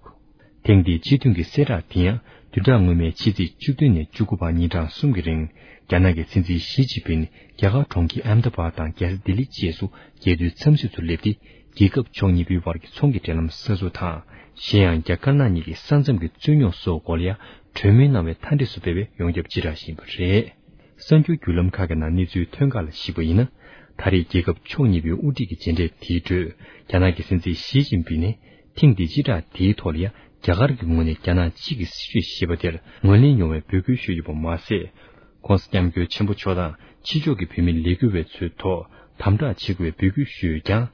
ཐེངས་འདིའི་སྤྱི་མཐུན་གྱི་གསལ་བསྒྲགས་དེ་ཡང་བདུན་ཕྲག་སྔོན་མའི་ཕྱི་ཚེས་བཅུ་བདུན་ནས་བཅུ་དགུ་བར་ཉིན་གྲངས་གསུམ་གྱི་རིང་རྒྱ་ནག་གི་སྲིད་འཛིན་ཞི་ཅིན་ཕིང་རྒྱ་གར་གྲོང་ཁྱེར་ཨེམ་དཱ་བཱད་དང་རྒྱལ་ས་ལྡི་ལི་བཅས་སུ་རྒྱལ་དོན་འཚམས་གཟིགས་སུ་སླེབས་ཏེ། རྒྱལ་ཁབ་ཕྱོགས་གཉིས་པོའི་བར་གྱི་ཚོང་གི་འབྲེལ་ལམ་གསར་བཟོ་དང་། གཞན་ཡང་རྒྱ་དཀར་ནག་གཉིས་ཀྱི་ས་མཚམས་ཀྱི་རྩོད་རྙོག་སོགས་སྐོར་ལ་ཡང་གྲོས་མོལ་གནང་བའི་མཐའ་འབྲས་སུ་སྤེལ་བའི་ཡོངས་ཁྱབ་སྤྱི་བསྒྲགས་ཤིག་ཡིན་པ་རེད། གསར་འགྱུར་བརྒྱུད་ལམ་ཁག་གི་ནང་གནས་ཚུལ་ཐོན་ཁག་ལ་གཞིགས་པ་ཡིན་ན། ད་རེས་རྒྱལ་ཁབ་ཕྱོགས་གཉིས་པོའི་དབུ་ཁྲིད་ཀྱི་མཇལ་འཕྲད་དེའི་ཁྲོད། རྒྱ་ནག་གི་སྲིད་འཛིན་ཞི་ཅིན་ཕིང་ནས་ཐེངས་འདིའི་སྤྱི་བསྒྲགས་དེའི་ཐོག་ལ་ཡང་རྒྱ་གར་གྱི་ངོས་ནས་རྒྱ་ནག་གཅིག་གི་སྲིད་བྱུས་ཞེས་པ་དེར་ངོས་ལེན་ཡོང་བའི་འབོད་སྐུལ་ཞུས་ཡོད་པ་མ་ཟད། ྋགོང་ས་ྋསྐྱབས་མགོན་ཆེན་པོ་མཆོག་དང་ཕྱི་ཕྱོགས་ཀྱི་བོད་མི་ལས་འགུལ་བ་ཚོའི་ཐོག་དམ་དྲག་བྱེད་དགོས་པའི་འབོད་སྐུལ་ཞུས་ཡོད་ཀྱང་།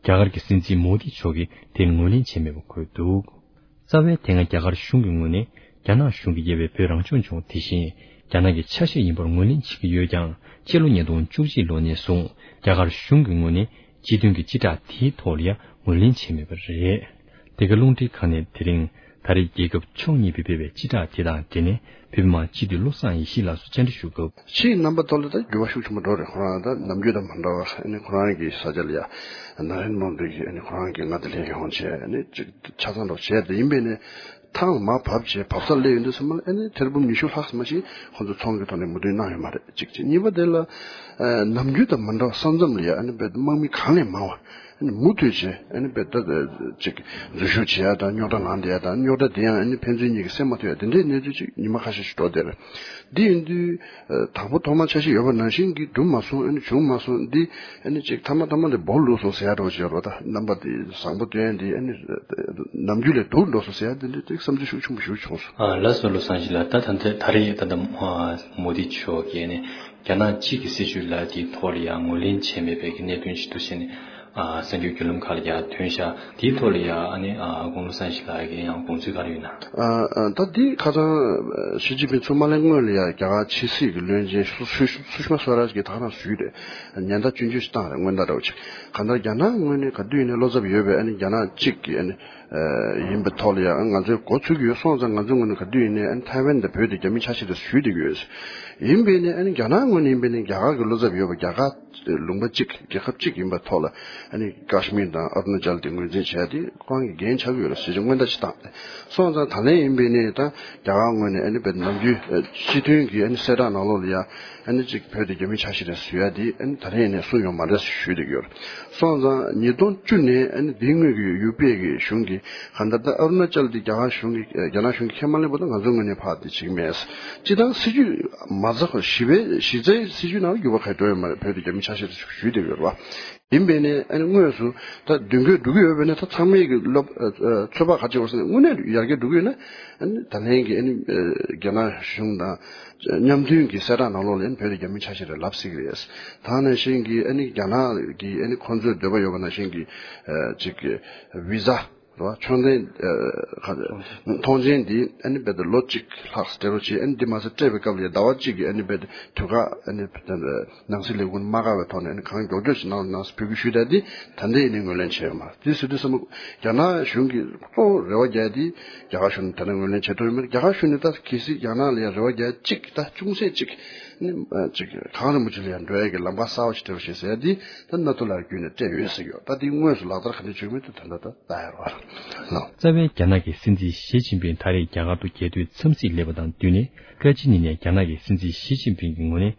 རྒྱ་གར་གྱི་སྲིད་འཛིན་མོ་དི་མཆོག་གིས་དེར་ངོས་ལེན་བྱས་མེད་པ་འཁོད་འདུག་རྩ་བའི་དེ་སྔ་རྒྱ་གར་གཞུང་གི་ངོས་ནས་རྒྱ་ནག་གཞུང་གིས་དབྱེ་བའི་བོད་རང་སྐྱོང་ལྗོངས་དེ་བཞིན་རྒྱ་ནག་གི་ཆ་ཤས་ཡིན་པར་ངོས་ལེན་བྱེད་ཀྱི་ཡོད་ཀྱང་། སྤྱི་ལོ་ཉིས་སྟོང་བཅུ་གཅིག་ལོ་ནས་བཟུང་རྒྱ་གར་གཞུང་གི་ངོས་ནས་སྤྱི་མཐུན་གྱི་སྤྱི་བསྒྲགས་དེའི་ཐོག་ལ་ཡང་ངོས་ལེན་བྱས་མེད་པ་རེད། འདི་ག་རླུང་འཕྲིན་ཁང་ནས་དེ་རིང་ད་རེས་རྒྱལ་ཁབ་ཕྱོགས་གཉིས་པོས་སྤེལ་བའི་སྤྱི་བསྒྲགས་དེ་དང་འབྲེལ་ནས་བོད་མི་མང་སྤྱི་འཐུས་བློ་བཟང་ཡེ་ཤེས་ལགས་སུ་བཅར་འདྲི་ཞུ་སྐབས། ཕྱིའི་རྣམ་པ་ཐོག་ལ་ད་འགྱུར་བ་ཤུགས་ཆེན་པོ་འགྲོ་རེད། ཁོ་རང་ད་ནམ་རྒྱུན་དང་མ་འདྲ་བ་ཨ་ནི་ཁོ་རང་གི་ས་ཆ་ལ་ཡ་ན་རེན་མོ་དི་གིས་ཨ་ནི་ཁོ་རང་གི་མངའ་སྡེ་ལ་ཡོང་བྱས་ཨ་ནི་ཅིག་ཆ་ཚང་འགྲོ་བྱས་ཏེ་ཡིན་པས་ནས། ཐང་མར་བབས་བྱས་བབས་ས་སླེབས་ཡོང་དུས་ཙམ་པ་ལ་ཨ་ནི་ཐེར་འབུམ་ཉི་ཤུ་ལྷག་ཙམ་ཞིག་ཁོང་ཚོ་ཚོང་གི་ཐོག་ནས་མོས་མཐུན་གནང་ཡོད་མ་རེད། གཅིག་བྱས། གཉིས་པ་དེ་ལ་ཨ་ནམ་རྒྱུན་དང་མ་འདྲ་བ་ས་མཚམས་ལ་ཡ་ཨ་ནི་དཔེ་དམག་མི་གང་ལས་མང་བ་ཨ་ནི་མུ་མཐུད་བྱས་ཨ་ནི་དཔེ་ད་ཅིག་འཛུལ་ཞུགས་བྱེད་ཡ་དང་རྙོག་དྲ་ནང་བསྡད་ཡ་དང་རྙོག་དྲ་དེ་ཡང་ཨ་ནི་ཕན་ཚུན་གཉིས་ཀྱིས་སེལ་མ་ཐུབ་ཡ་དེ་འདྲའི་གནས་ཚུལ་ཅིག་ཉི་མ་ཁ་ཤས་ཤིག་འགྲོ་བསྡད་རེད། འདི་ཡིན་དུས། དང་པོ་ཐོག་མར་འཆར་གཞི་ཡོད་པ་ནང་བཞིན་གྱི་འགྲུབ་མ་སོང་། ཨ་ནི་བྱུང་མ་སོང་། འདི་ཨ་ནི་ཅིག་མཐའ་མ་མཐའ་མ་ལ་སྦོ་ལུག་སོང་ཟེར་ཡ་འདྲ་བོ་ཅིག་ཡོད་རེད། ད་རྣམ་པ་དེ་བཟང་པོ་སྟོན་ཡ་འདི་ཨ་ནི་ནམ་རྒྱུན་ལས་སྡུག་འགྲོ་སོང་ཟེར་ཡ་འདི་འདྲ་ཅིག་བསམ་ཚུལ་ཤུགས་ཆེན་པོ་ཞིག་བྱུང་སོང་། ཨ་ལགས་སོ། བློ་བཟང་ཡེ་ཤེས་ལགས། ད་ད་ལྟ་ད་རེས་ད་ལྟ་མོ་དི་མཆོག་གིས་ནི་རྒྱ་ནག་གཅིག་གི་སྲིད་བྱུས་ལ་དེའི་ཐོག་ལ་ཡང་ངོས་ལེན་བྱས་མེད་པའི་གི་གནད་དོན་ཞིག་འདུག་ཟེར་ནས་ཨ་གསར་འགྱུར་བརྒྱུད་ལམ་ཁག་ལ་ཡང་ཐོན་ཤག་དེའི་ཐོག་ལ་ཡང་ཨ་ནི་ཨ་ཁོང་བློ་བཟང་ཡེ་ཤེས་ལགས་ཀྱིས་ཡང་དགོངས་ཚུལ་ག་རེ་ཡོད་ན། ཨ་ཨ་ད་འདི་ཁ་སང་ཞི་ཅིན་ཕིང་ཚུར་མ་སླེབས་སྔོན་ལ་ཡང་རྒྱ་གར་ཕྱི་སྲིད་ཀྱི་བློན་ཆེན་སུ་སུ་སུ་ཤི་མ་སུ་རཱ་ཇི་གིས་ད་ག་རང་ཞུས་རེད། ཉེན་བརྡ་སྐྱོན་བརྗོད་ཞིག་བཏང་རེད། སྔོན་བརྡ་འདྲ་བོ་ཅིག་གང་ལྟར་རྒྱ་ནག་ངོས་ནས་ག་དུས་ཡིན་ནའི་བློ་འཚབ་ཡོད་པས། ཨ་ནི་རྒྱ་ནག་གཅིག་གི་ཨ་ནི་ཡིན་པའི་ཐོག་ལ་ཡང་ང་ཚོས་འགོ་ཚུགས་ཀྱི་ཡོད། སོང་ཙང་ང་ཚོའི་ངོས་ནས་ག་དུས་ཡིན་ནའི་ཨ་ནི་ཐའེ་ཝན་དང་བོད་དེ་རྒྱ་མིའི་ཆ་ཤས་དེ་ཞུས་བསྡད་ཀྱི་ཡོད། ཡིན་པས་ནི་ཨ་ནི་རྒྱ་ནག་ངོས་ནས་ཡིན་པས་ནི་རྒྱ་གར་གྱི་བློ་འཚབ་ཡོད་པ། རྒྱ་གར་ལུང་པ་གཅིག་རྒྱལ་ཁབ་གཅིག་ཡིན་པའི་ཐོག་ལ་ཨ་ནི་ཀ་ཤི་མིར་དང་ཨ་རུ་ན་ཅལ་དེ་ངོས་འཛིན་བྱས་ཏེ་ཁོ་རང་གི་འགན་ཆགས་ཀྱི་ཡོད་རེད་ཟེར་གྱི་སྔོན་བརྡ་ཅིག་བཏང་སྟེ། སོང་ཙང་ད་ལན་ཡིན་པས་ནི་ད་རྒྱ་གར་ངོས་ནས་ཨ་ནི་བོད་ནམ་རྒྱུན་སྤྱི་མཐུན་གྱི་ཨ་ནི་གསལ་བསྒྲགས་ནང་ལོགས་ལ་ཡ་ཨ་ནི་གཅིག་བོད་དེ་རྒྱ་མིའི་ཆ་ཤས་རེད་ཟེར་ཡ་དེ་ཨ་ནི་ད་རེས་ནས་གསུངས་ཡོད་མ་རེད་ཟེར་ཞུས་བསྡད་ཀྱི་ཡོད་རེད། སོང་ཙང་ཉིས་སྟོང་བཅུ་ནས་ཨ་ནི་དེའི་སྔོན་གྱི་ཡུ་པི་ཨེ་གི་གཞུང་གིས་གང་ལྟར་ད་ཨ་རུ་ན་ཅལ་དེ་རྒྱ་གར་གཞུང་གིས་རྒྱ་ནག་གཞུང་གིས་ཁས་མ་ལེན་པ་དང་ང་ཚོའི་ངོས་ནས་ཕར་དེ་བྱེད་ཀྱི་མེད། སྤྱིར་བཏང་སྲིད་ཇུས་མ་རྩ་ཁོ་གཞི་པའི་གཞི་རྩའི་སྲིད་ཇུས་ནང་ལ་འགྱུར་བ་ག་འགྲོ་ཡོད་མ་རེད། བོད་དེ་རྒྱ་མི་ཆ་ཤས་དེ་ཞུས་བསྡད་ཡོད་རེད་བ། ཡིན་པས་ནས་ཨ་ནི་དངོས་སུ་ད་མདུན་སྐྱོད་འགྲོ་གི་ཡོད་པས་ན་ད་ཚང་མས་ཀྱི་བློ་ཚོད་དཔག་ག་བྱེད་དགོས་ཟེར་ན་དངོས་གནས་ཡར་རྒྱས་འགྲོ་གི་ཡོད་ན་ཨ་ནི་ད་ལན་གྱི་ཨ་ནི་རྒྱ་ནག་གཞུང་དང་མཉམ་མཐུན་གྱི་གསལ་བསྒྲགས་ནང་ལོགས་ལ་ཨ་ནི་བོད་དེ་རྒྱ་མི་ཆ་ཤས་རེད་ལབ་སྲིད་ཀྱི་རེད། ད་ནང་བཞིན་གྱི་ཨ་ནི་རྒྱ་ནག་གིས་ཨ་ནི་ཁོང་ཚོའི་འདོད་པ་ཡོད་པ་ནང་བཞིན་གྱི་ཅིག་བི་ཟ་རེད་བ། ཆོག་མཆན་ཨ་ཁ་ཐོངས་མཆན་འདི་ཨ་ནི་རྦད་དེ་ལོ་གཅིག་ལྷག་སྤྲད་རོགས་བྱེད། ཨ་ནི་འདི་མ་ཟད་སྤྲད་པའི་སྐབས་ལ་ཟླ་བ་གཅིག་གི་ཨ་ནི་རྦད་དེ་དུས་བཀག་ཨ་ནི་རྦད་དེ་ནང་སྲིད་ལས་ཁུངས་མ་བཀག་པའི་ཐོག་ནས་ཨ་ནི་གང་མགྱོགས་མགྱོགས་ཤིག་གནང་རོགས་གནང་ཟེར་འབོད་སྐུལ་ཞུས་བསྡད་དེ་ད་ལྟ་ཡིན་ནའི་ངོས་ལེན་བྱས་ཡོད་མ་རེད། དེ་ཟེར་དུས་ཙམ་པ་རྒྱ་ནག་གཞུང་གིས་གཙོ་བོ་རེ་བ་རྒྱག་དེ་རྒྱ་གར་གཞུང་ནས་ད་ལྟ་ངོས་ལེན་བྱེད་ཐུབ་ཡོད་མ་རེད། རྒྱ་གར་གཞུང་ནས་ད་གལ་སྲིད་རྒྱ་ནག་ལ་ཡང་རེ་བ་རྒྱག་གཅིག་ད་ཅུང་ཟད་གཅིག་ནི་ཅིག་གངས་རིན་པོ་ཆེ་ལ་ཡང་འགྲོ་ཡ་གི་ལམ་ཁ་གསར་པ་ཞིག་སྤྲད་རོགས་བྱེད་ཟེར་ཡ་འདི་ད་ནཱ་ཐུ་ལགས་བརྒྱུད་ནས་སྤྲད་ཡོད་ཟེར་གྱི་ཡོད། ད་འདི་དངོས་སུ་ལག་བསྟར་ག་འདྲ་བྱུང་མིན་དེ་ད་ལྟ་ད་ལྟ་ཡོད་རེད་བ། ལགས། རྩ་བའི་རྒྱ་ནག་གི་སྲིད་འཛིན་ཞི་ཅིན་ཕིང་ད་རེས་རྒྱ་གར་དུ་རྒྱལ་དོན་འཚམས་གཟིགས་སླེབས་པ་དང་བསྟུན་ནས་བཀའ་སྤྱི་གཉིས་ནས་རྒྱ་ནག་གི་སྲིད་འཛིན་ཞི་ཅིན་ཕིང་གི་ངོས་ནས་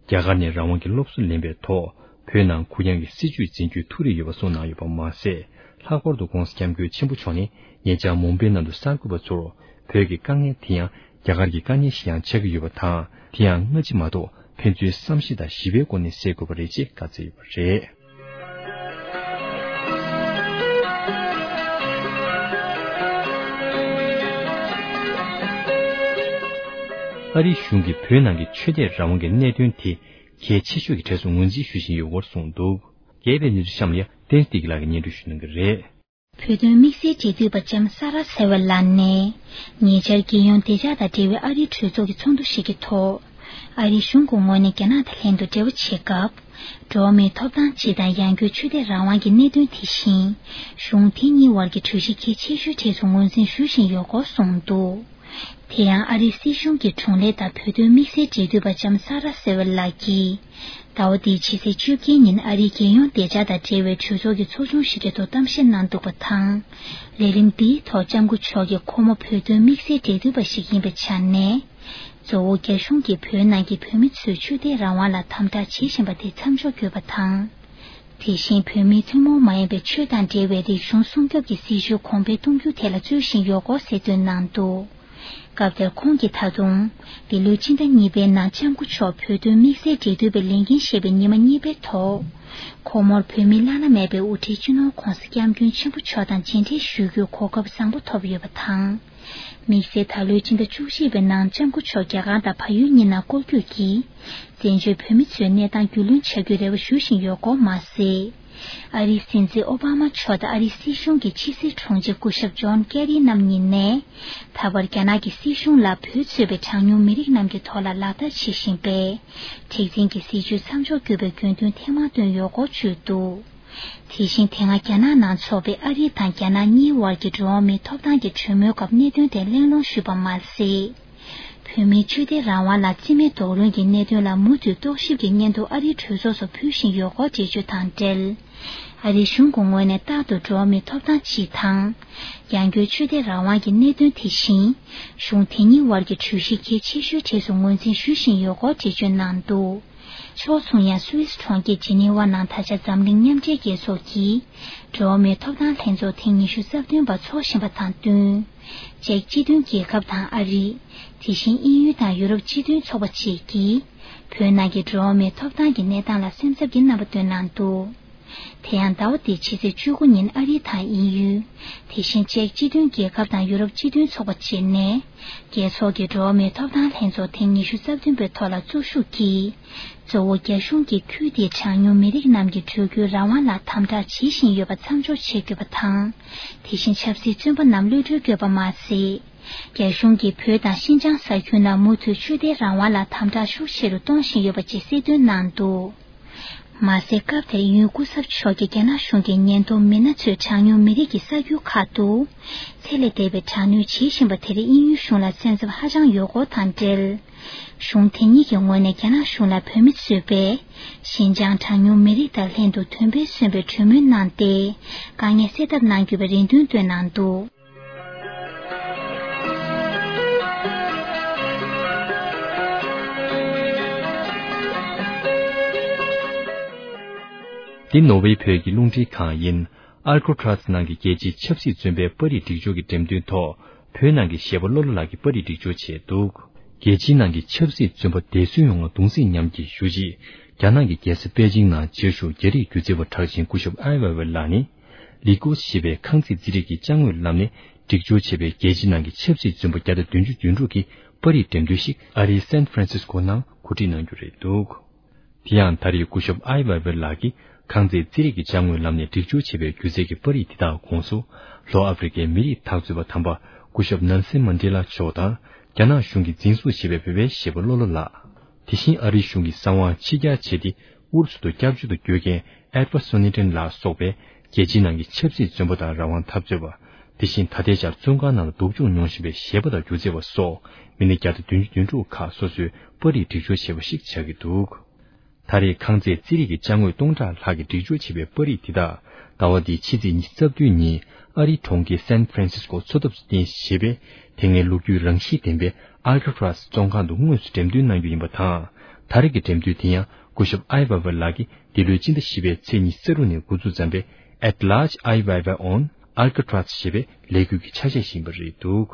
རྒྱ་གར་ནས་རང་དབང་གི་སློབ་གསོ་ལེན་པའི་ཐོག་བོད་ནང་གུ་ཡངས་ཀྱི་སྲིད་བྱུས་འཛིན་རྒྱུའི་ཐུགས་རེ་ཡོད་པ་གསུངས་གནང་ཡོད་པ་མ་ཟད། ལྷག་པར་དུ་ྋགོང་ས་ྋསྐྱབས་མགོན་ཆེན་པོ་མཆོག་ནས་ཉེ་ཆར་མུམ་བྷེ་ནང་དུ་གསར་འགོད་པ་ཚོར་བོད་ཀྱི་དཀའ་ངལ་དེ་ཡང་རྒྱ་གར་གྱི་དཀའ་ངལ་ཞིག་ཡང་ཆགས་ཀྱི་ཡོད་པ་དང་། དེ་ཡང་སྔ་ཕྱི་མ་གཏོགས་ཕན་ཚུན་བསམ་ཤེས་དང་ཞི་བའི་སྒོ་ནས་སེལ་དགོས་པ་རེད་ཅེས་བཀའ་སྩལ་ཡོད་པ་རེད། ཨ་རིའི་གཞུང་གིས་བོད་ནང་གི་ཆོས་དད་རང་དབང་གི་གནད་དོན་དེ་གལ་ཆེ་ཤོས་ཀྱི་གྲས་སུ་ངོས་འཛིན་ཞུ་བཞིན་ཡོད་སྐོར་གསུངས་འདུག་རྒྱས་པའི་གནས་ཚུལ་གཤམ་ལ་ཡང་བསྟན་འཛིན་བདེ་སྐྱིད་ལགས་ཀྱིས་སྙན་སྒྲོན་ཞུ་གནང་གི་རེད། བོད་དོན་དམིགས་བསལ་འབྲེལ་མཐུད་པ་ལྕམ་ས་ར་སེ་ཝ་ལགས་ནས། ཉེ་ཆར་རྒྱལ་ཡོངས་བདེ་འཇགས་དང་འབྲེལ་བའི་ཨ་རིའི་གྲོས་ཚོགས་ཀྱི་ཚོགས་འདུ་ཞིག་གི་ཐོག་ཨ་རིའི་གཞུང་གི་ངོས་ནས་རྒྱ་ནག་དང་ལྷན་དུ་འབྲེལ་བ་བྱེད་སྐབས། འགྲོ་བ་མིའི་ཐོབ་ཐང་སྤྱི་དང་ཡང་སྒོས་ཆོས་དད་རང་དབང་གི་གནད་དོན་དེ་བཞིན། གཞུང་དེ་གཉིས་བར་གྱི་གྲོས་གཞི་གལ་ཆེ་ཤོས་གྲས་སུ་ངོས་འཛིན་ཞུ་བཞིན་ཡོད་སྐོར་གསུངས་འདུག་དེ་ཡང་ཨ་རིའི་སྲིད་གཞུང་གི་དྲུང་ལས་དང་བོད་དོན་དམིགས་བསལ་འབྲེལ་མཐུད་པ་ལྕམ་ས་ར་སེ་ཝེལ་ལགས་ཀྱིས། ཟླ་བ་འདིའི་ཕྱི་ཚེས་བཅུ་བརྒྱད་ཉིན་ཨ་རིའི་རྒྱལ་ཡོངས་བདེ་འཇགས་དང་འབྲེལ་བའི་གྲོས་ཚོགས་ཀྱི་ཚོགས་ཆུང་ཞིག་གི་ཐོག་གཏམ་བཤད་གནང་འདུག་པ་དང་། ལས་རིམ་འདིའི་ཐོག་ལྕམ་སྐུ་མཆོག་གིས་ཁོ་མོ་བོད་དོན་དམིགས་བསལ་འབྲེལ་མཐུད་པ་ཞིག་ཡིན་པའི་ཆ་ནས། གཙོ་བོ་རྒྱ་གཞུང་གིས་བོད་ནང་གི་བོད་མི་ཚོའི་ཆོས་དད་རང་དབང་ལ་དམ་དྲག་བྱེད་བཞིན་པ་དེ་མཚམས་འཇོག་དགོས་པ་དང་། དེ་བཞིན་བོད་མིའི་ཐུན་མོང་མ་ཡིན་པའི་ཆོས་དང་འབྲེལ་བའི་རིག་གཞུང་སྲུང་སྐྱོབ་ཀྱི་སྲིད་བྱུས་གོང་འཕེལ་གཏོང་རྒྱུའི་ཐད་ལ་རྩོད་བཞིན་ཡོད་སྐོར་གསལ་སྟོན་གནང་འདུག་སྐབས་དེར་ཁོང་གིས་ད་དུང་། འདི་ལོའི་སྤྱི་ཟླ་གཉིས་པའི་ནང་ལྕམ་སྐུ་མཆོག་བོད་དོན་དམིགས་བསལ་འབྲེལ་མཐུད་པའི་ལས་འགན་བཞེས་པའི་ཉི་མ་གཉིས་པའི་ཐོག་ཁོ་མོར་བོད་མིའི་བླ་ན་མེད་པའི་དབུ་ཁྲིད་སྤྱི་ནོར་༧གོང་ས་༧སྐྱབས་མགོན་ཆེན་པོ་མཆོག་དང་མཇལ་འཕྲད་ཞུ་རྒྱུའི་གོ་སྐབས་བཟང་པོ་ཐོབ་ཡོད་པ་དང་། དམིགས་བསལ་ད་ལོའི་སྤྱི་ཟླ་བཅུ་གཅིག་པའི་ནང་ལྕམ་སྐུ་མཆོག་རྒྱ་གར་དང་བལ་ཡུལ་གཉིས་ནང་སྐོར་སྐྱོད་ཀྱིས། བཙན་བྱོལ་བོད་མི་ཚོའི་གནས་སྟངས་རྒྱུས་ལོན་བྱ་རྒྱུའི་རེ་བ་ཞུ་བཞིན་ཡོད་སྐོར་མ་ཟད། ཨ་རིའི་སྲིད་འཛིན་ཨོ་བྷ་མ་མཆོག་དང་ཨ་རིའི་སྲིད་གཞུང་གི་ཕྱི་སྲིད་དྲུང་ཆེ་སྐུ་ཞབས་ཇོན་ཀེ་རི་རྣམ་གཉིས་ནས། ད་བར་རྒྱ་ནག་གི་སྲིད་གཞུང་ལ་བོད་གཙོས་པའི་གྲངས་ཉུང་མི་རིགས་རྣམས་ཀྱི་ཐོག་ལ་ལག་བསྟར་བྱེད་བཞིན་པའི། མཁྲེགས་འཛིན་གྱི་སྲིད་བྱུས་མཚམས་འཇོག་དགོས་པའི་དགོས་འདུན་ཐེངས་མང་བཏོན་ཡོད་སྐོར་བརྗོད་འདུག་དེ་བཞིན་དེ་སྔ་རྒྱ་ནག་ནང་འཚོགས་པའི་ཨ་རི་དང་རྒྱ་ནག་གཉིས་དབར་གྱི་འགྲོ་བ་མིའི་ཐོབ་ཐང་གི་གྲོས་མོལ་སྐབས་གནད་དོན་དེ་གླེང་སློང་ཞུས་པ་མ་ཟད། བོད་མིའི་ཆོས་དད་རང་དབང་ལ་རྩིས་མེད་རྡོག་རོལ་གྱི་གནད་དོན་ལ་མུ་མཐུད་རྟོག་ཞིབ་ཀྱི་སྙན་ཐོ་ཨ་རིའི་གྲོས་ཚོགས་སུ་ཕུལ་བཞིན་ཡོད་སྐོར་འགྲེལ་བརྗོད་དང་འབྲེལ། ཨ་རིའི་གཞུང་གི་ངོས་ནས་རྟག་ཏུ་འགྲོ་བ་མིའི་ཐོབ་ཐང་སྤྱི་དང་། ཡང་སྒོས་ཆོས་དད་རང་དབང་གི་གནད་དོན་དེ་བཞིན། གཞུང་དེ་གཉིས་དབར་གྱི་གྲོས་གཞི་གལ་ཆེ་ཤོས་གྲས་སུ་ངོས་འཛིན་ཞུ་བཞིན་ཡོད་སྐོར་འགྲེལ་བརྗོད་གནང་འདུག་ཕྱོགས་མཚུངས་ཡང་སུད་སི་གྲོང་ཁྱེར་ཇི་ནི་ཝ་ནང་ད་ཆ་འཛམ་གླིང་མཉམ་འབྲེལ་རྒྱལ་ཚོགས་ཀྱིས་འགྲོ་བ་མིའི་ཐོབ་ཐང་ལྷན་ཚོགས་ཐེངས་ཉི་ཤུ་རྩ་བདུན་པ་འཚོགས་བཞིན་པ་དང་བསྟུན། ཅེཀ་སྤྱི་མཐུན་རྒྱལ་ཁབ་དང་ཨ་རི། དེ་བཞིན་དབྱིན་ཡུལ་དང་ཡུ་རོབ་སྤྱི་མཐུན་ཚོགས་པ་བཅས་ཀྱིས་བོད་ནང་གི་འགྲོ་བ་མིའི་ཐོབ་ཐང་གི་གནས་སྟངས་ལ་སེམས་འཚབ་ཀྱི་རྣམ་པ་བཏོན་གནང་འདུག་དེ་ཡང་ཟླ་བ་འདིའི་ཕྱི་ཚེས་བཅུ་དགུ་ཉིན་ཨ་རི་དང་དབྱིན་ཡུལ། དེ་བཞིན་ཅེཀ་སྤྱི་མཐུན་རྒྱལ་ཁབ་དང་ཡུ་རོབ་སྤྱི་མཐུན་ཚོགས་པ་བཅས་ནས། རྒྱལ་ཚོགས་ཀྱི་འགྲོ་བ་མིའི་ཐོབ་ཐང་ལྷན་ཚོགས་ཐེངས་ཉི་ཤུ་རྩ་བདུན་པའི་ཐོག་ལ་གཙོ་ཤུགས་ཀྱིས། གཙོ་བོ་རྒྱ་གཞུང་གིས་ཁུལ་དེའི་གྲངས་ཉུང་མི་རིགས་རྣམས་ཀྱི་འགྲོ་སྐྱོད་རང་དབང་ལ་དམ་དྲག་བྱེད་བཞིན་ཡོད་པ་མཚམས་འཇོག་བྱེད་དགོས་པ་དང་། དེ་བཞིན་ཆབ་སྲིད་བཙོན་པ་རྣམས་གློད་གྲོལ་དགོས་པ་མ་ཟད། རྒྱ་གཞུང་གིས་བོད་དང་ཤིན་ཅང་ས་ཁུལ་ནང་མུ་མཐུད་ཆོས་དད་རང་དབང་ལ་དམ་དྲག་ཤུགས་ཆེ་རུ་གཏོང་བཞིན་ཡོད་པ་བཅས་གསལ་སྟོན་གནང་འདུག་མ་ཟད། སྐབས་དེར་དབྱིན་ཡུལ་སྐུ་ཚབ་མཆོག་གིས་རྒྱ་ནག་གཞུང་གིས་ཉེན་རྟོག་མི་སྣ་ཚོས་གྲངས་ཉུང་མི་རིགས་ཀྱི་ས་ཁུལ་ཁག་ཏུ་ཚད་ལས་འདས་པའི་དྲག་གནོན་བྱེད་བཞིན་པ་དེར་དབྱིན་ཡུལ་གཞུང་ལ་སེམས་འཚབ་ཧ་ཅང་ཡོད་སྐོར་དང་འབྲེལ། གཞུང་དེ་གཉིས་ཀྱི་ངོས་ནས་རྒྱ་ནག་གཞུང་ལ་བོད་མི་གཙོས་པའི་ཤིན་ཅང་གྲངས་ཉུང་མི་རིགས་དང་ལྷན་དུ་དོན་ཕན་སོན་པའི་གྲོས་མོལ་གནང་སྟེ། དཀའ་ངལ་སེལ་ཐབས་གནང་དགོས་པའི་རེ་འདུན་བཏོན་གནང་འདུག་འདི་ནོར་ཝེ་བོད་ཀྱི་རླུང་འཕྲིན་ཁང་ཡིན། ཨལ་ཁོ་ཊྲ་སི་ནང་གི་རྒྱལ་སྤྱིའི་ཆབ་སྲིད་བཙོན་པའི་པར་རིས་སྒྲིག་སྦྱོར་གྱི་འགྲེམས་སྟོན་ཐོག་བོད་ནང་གི་གཞས་པ་བློ་ལོ་ལགས་ཀྱིས་པར་རིས་སྒྲིག་སྦྱོར་བྱས་འདུག་རྒྱལ་སྤྱིའི་ནང་གི་ཆབ་སྲིད་བཙོན་པ་བདེ་སྲུང་ཡོང་བར་གདུང་སེམས་མཉམ་སྐྱེད་ཞུ་ཆེད། རྒྱ་ནག་གི་རྒྱལ་ས་པེ་ཅིང་ནང་བཅའ་བཞུགས་རྒྱ་རིགས་སྒྱུ་རྩལ་བ་གྲགས་ཅན་སྐུ་ཞབས་ཨའི་ཝེ་ཝེ་ལགས་ནི། ལི་ཀོ་ཞེས་པའི་ཁང་བརྩེགས་རྩིས་རིག་གི་ཅ་དངོས་ལམ་ནས་སྒྲིག་སྦྱོར་བྱས་པའི་རྒྱལ་སྤྱིའི་ནང་གི་ཆབ་སྲིད་བཙོན་པ་བརྒྱ་དང་བདུན་ཅུ་དོན་དྲུག་གི་པར་རིས་འགྲེམས་སྟོན་ཞིག་ཨ་རིའི་སན་ཧྥ་རན་སིས་ཀོ་ནང་གོ་སྒྲིག་གནང་རྒྱུ་རེད་འདུག་དེ་ཡང་ད་རེས་སྐུ་ཞབས་ཨའི་ཝེ་ཝེ་ལགས་ཀྱིས་ཁང་བརྩེགས་རྩིས་རིག་གི་ཅ་དངོས་ལམ་ནས་སྒྲིག་སྦྱོར་བྱས་པའི་སྒྱུ་རྩལ་གྱི་པར་རིས་དེ་དག་ཁོངས་སུ། ལྷོ་ཨ་ཧྥེ་རི་ཁའི་མི་རིགས་འཐབ་རྩོད་པ་དམ་པ་སྐུ་ཞབས་ནེལ་སན་མན་ཌེ་ལ་མཆོག་དང་། རྒྱ་ནག་གཞུང་གིས་འཛིན་བཟུང་བྱས་པའི་བོད་པའི་གཞས་པ་བློ་ལོ་ལགས། དེ་བཞིན་ཨ་རིའི་གཞུང་གིས་གསང་བ་ཕྱིར་གྱར་བྱས་ཏེ། ཨུ་རུ་སུ་དུ་སྐྱབས་བཅོལ་དུ་བསྐྱོད་མཁན་ཨེད་ཝར་སོ་ནི་ཏན་ལ་སོགས་པའི་རྒྱལ་སྤྱིའི་ནང་གི་ཆབ་སྲིད་བཙོན་པ་དང་རང་དབང་འཐབ་རྩོད་པ། དེ་བཞིན་ད་ལྟའི་ཆར་བཙོན་ཁང་ནང་ལ་སྡུག་སྦྱོང་མྱོང་བཞིན་པའི་གཞས་པ་དང་སྒྱུ་རྩལ་བ་སོགས་མི་སྣ་བརྒྱ་དང་བདུན་ཅུ་དོན་དྲུག་ཁག་སོ་སོའི་པར་རིས་སྒྲིག་སྦྱོར་བྱས་པ་ཞིག་ཆགས་ཀྱི་འདུག་ད་རེས་ཁང་བརྩེགས་རྩིས་རིག་གི་ཅ་དངོས་སྟོང་ཕྲག་ལྷག་གིས་སྒྲིག་སྦྱོར་བྱས་པའི་པར་རིས་འདི་དག་ཟླ་བ་འདིའི་ཕྱི་ཚེས་ཉི་ཤུ་རྩ་བདུན་ཉིན་ཨ་རིའི་གྲོང་ཁྱེར་སན་ཧྥ་རན་སིས་ཀོ་མཚོ་འདབས་སུ་རྟེན་གཞི་བྱས་པའི་དེ་སྔའི་ལོ་རྒྱུས་རང་བཞིན་ལྡན་པའི་ཨལ་ཁ་ཊྲ་སི་བཙོན་ཁང་དུ་དངོས་སུ་འགྲེམས་སྟོན་གནང་རྒྱུ་ཡིན་པ་དང་། ད་རེས་ཀྱི་འགྲེམས་སྟོན་དེ་ཡང་སྐུ་ཞབས་ཨའི་ཝེ་ཝེ་ལགས་ཀྱིས་འདི་ལོའི་སྤྱི་ཟླ་བཞི་པའི་ཚེས་ཉི་ཤུ་རྩ་དྲུག་ནས་འགོ་འཛུགས་མཛད་པའི་At Large Ai Weiwei on Alcatraz ཞེས་པའི་ལས་འགུལ་གྱི་ཆ་ཤས་ཤིག་ཡིན་པ་རེད་འདུག་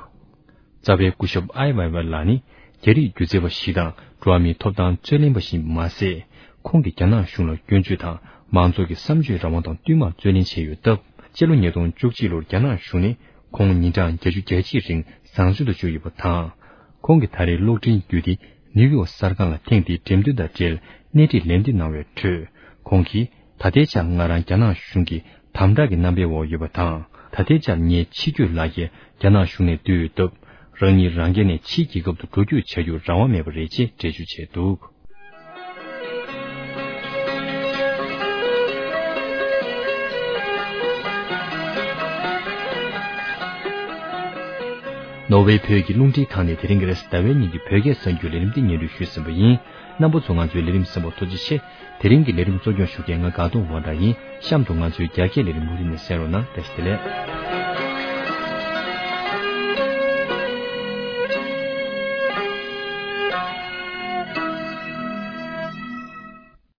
རྩ་བའི་སྐུ་ཞབས་ཨའི་ཝེ་ཝེ་ལགས་ནི་རྒྱ་རིགས་སྒྱུ་རྩལ་བ་ཞིག་དང་འགྲོ་བ་མིའི་ཐོབ་ཐང་རྩོད་ལེན་པ་ཞིག་མ་ཟད། ཁོང་གིས་རྒྱ་ནག་གཞུང་ལ་སྐྱོན་བརྗོད་དང་མང་ཚོགས་ཀྱི་བསམ་སྤྱོད་རང་དབང་དང་བསྟུད་མར་རྩོད་ལེན་བྱས་ཡོད་སྟབས། སྤྱི་ལོ་ཉིས་སྟོང་བཅུ་གཅིག་ལོར་རྒྱ་ནག་གཞུང་ནས་ཁོང་ཉིན་གྲངས་བརྒྱད་ཅུ་གྱ་གཅིག་རིང་བཟང་བཙོན་དུ་བཅུག་ཡོད་པ་དང་། ཁོང་གིས་ད་རེས་གློག་འཕྲིན་བརྒྱུད་དེ་ནིའུ་ཡོག་གསར་ཁང་ལ་ཐེངས་འདིའི་འགྲེམས་སྟོན་དང་འབྲེལ་སྣེ་ཁྲིད་ལན་འདེབས་གནང་བའི་ཁྲོད། ཁོང་གིས། ད་ལྟའི་ཆར་ང་རང་རྒྱ་ནག་གཞུང་གིས་དམ་དྲག་གི་རྣམ་པའི་འོག་ཡོད་པ་དང་། ད་ལྟའི་ཆར་ངའི་ཕྱི་སྐྱོད་ལག་འཁྱེར་རྒྱ་ནག་གཞུང་ནས་བསྡུས་ཡོད་སྟབས། རང་ཉིད་རང་སྒེར་ནས་ཕྱིའི་རྒྱལ་ཁབ་ཏུ་འགྲོ་སྐྱོད་བྱ་རྒྱུར་རང་དབང་མེད་པ་རེད་ཅེས་འགྲེལ་བརྗོད་བྱས་འདུག་ནོར་ཝེ་བོད་ཀྱི་རླུང་འཕྲིན་ཁང་ནས་དེ་རིང་གི་རེས་གཟའ་ཟླ་བའི་ཉིན་གྱི་བོད་སྐད་གསར་འགྱུར་ལས་རིམ་འདི་སྙན་སྒྲོན་ཞུས་ཟིན་པ་ཡིན། རྣམ་པ་ཚོ་ང་ཚོའི་ལས་རིམ་གསན་པར་ཐུགས་རྗེ་ཆེ། དེ་རིང་གི་ལས་རིམ་གཙོ་སྐྱོང་ཞུ་མཁན་ང་དགའ་གདོང་དབང་གྲགས་ཡིན། གཤམ་དུ་ང་ཚོའི་རྒྱ་སྐད་ལས་རིམ་མུ་མཐུད་ནས་གསན་རོགས་གནང་། བཀྲ་ཤིས་བདེ་ལེགས།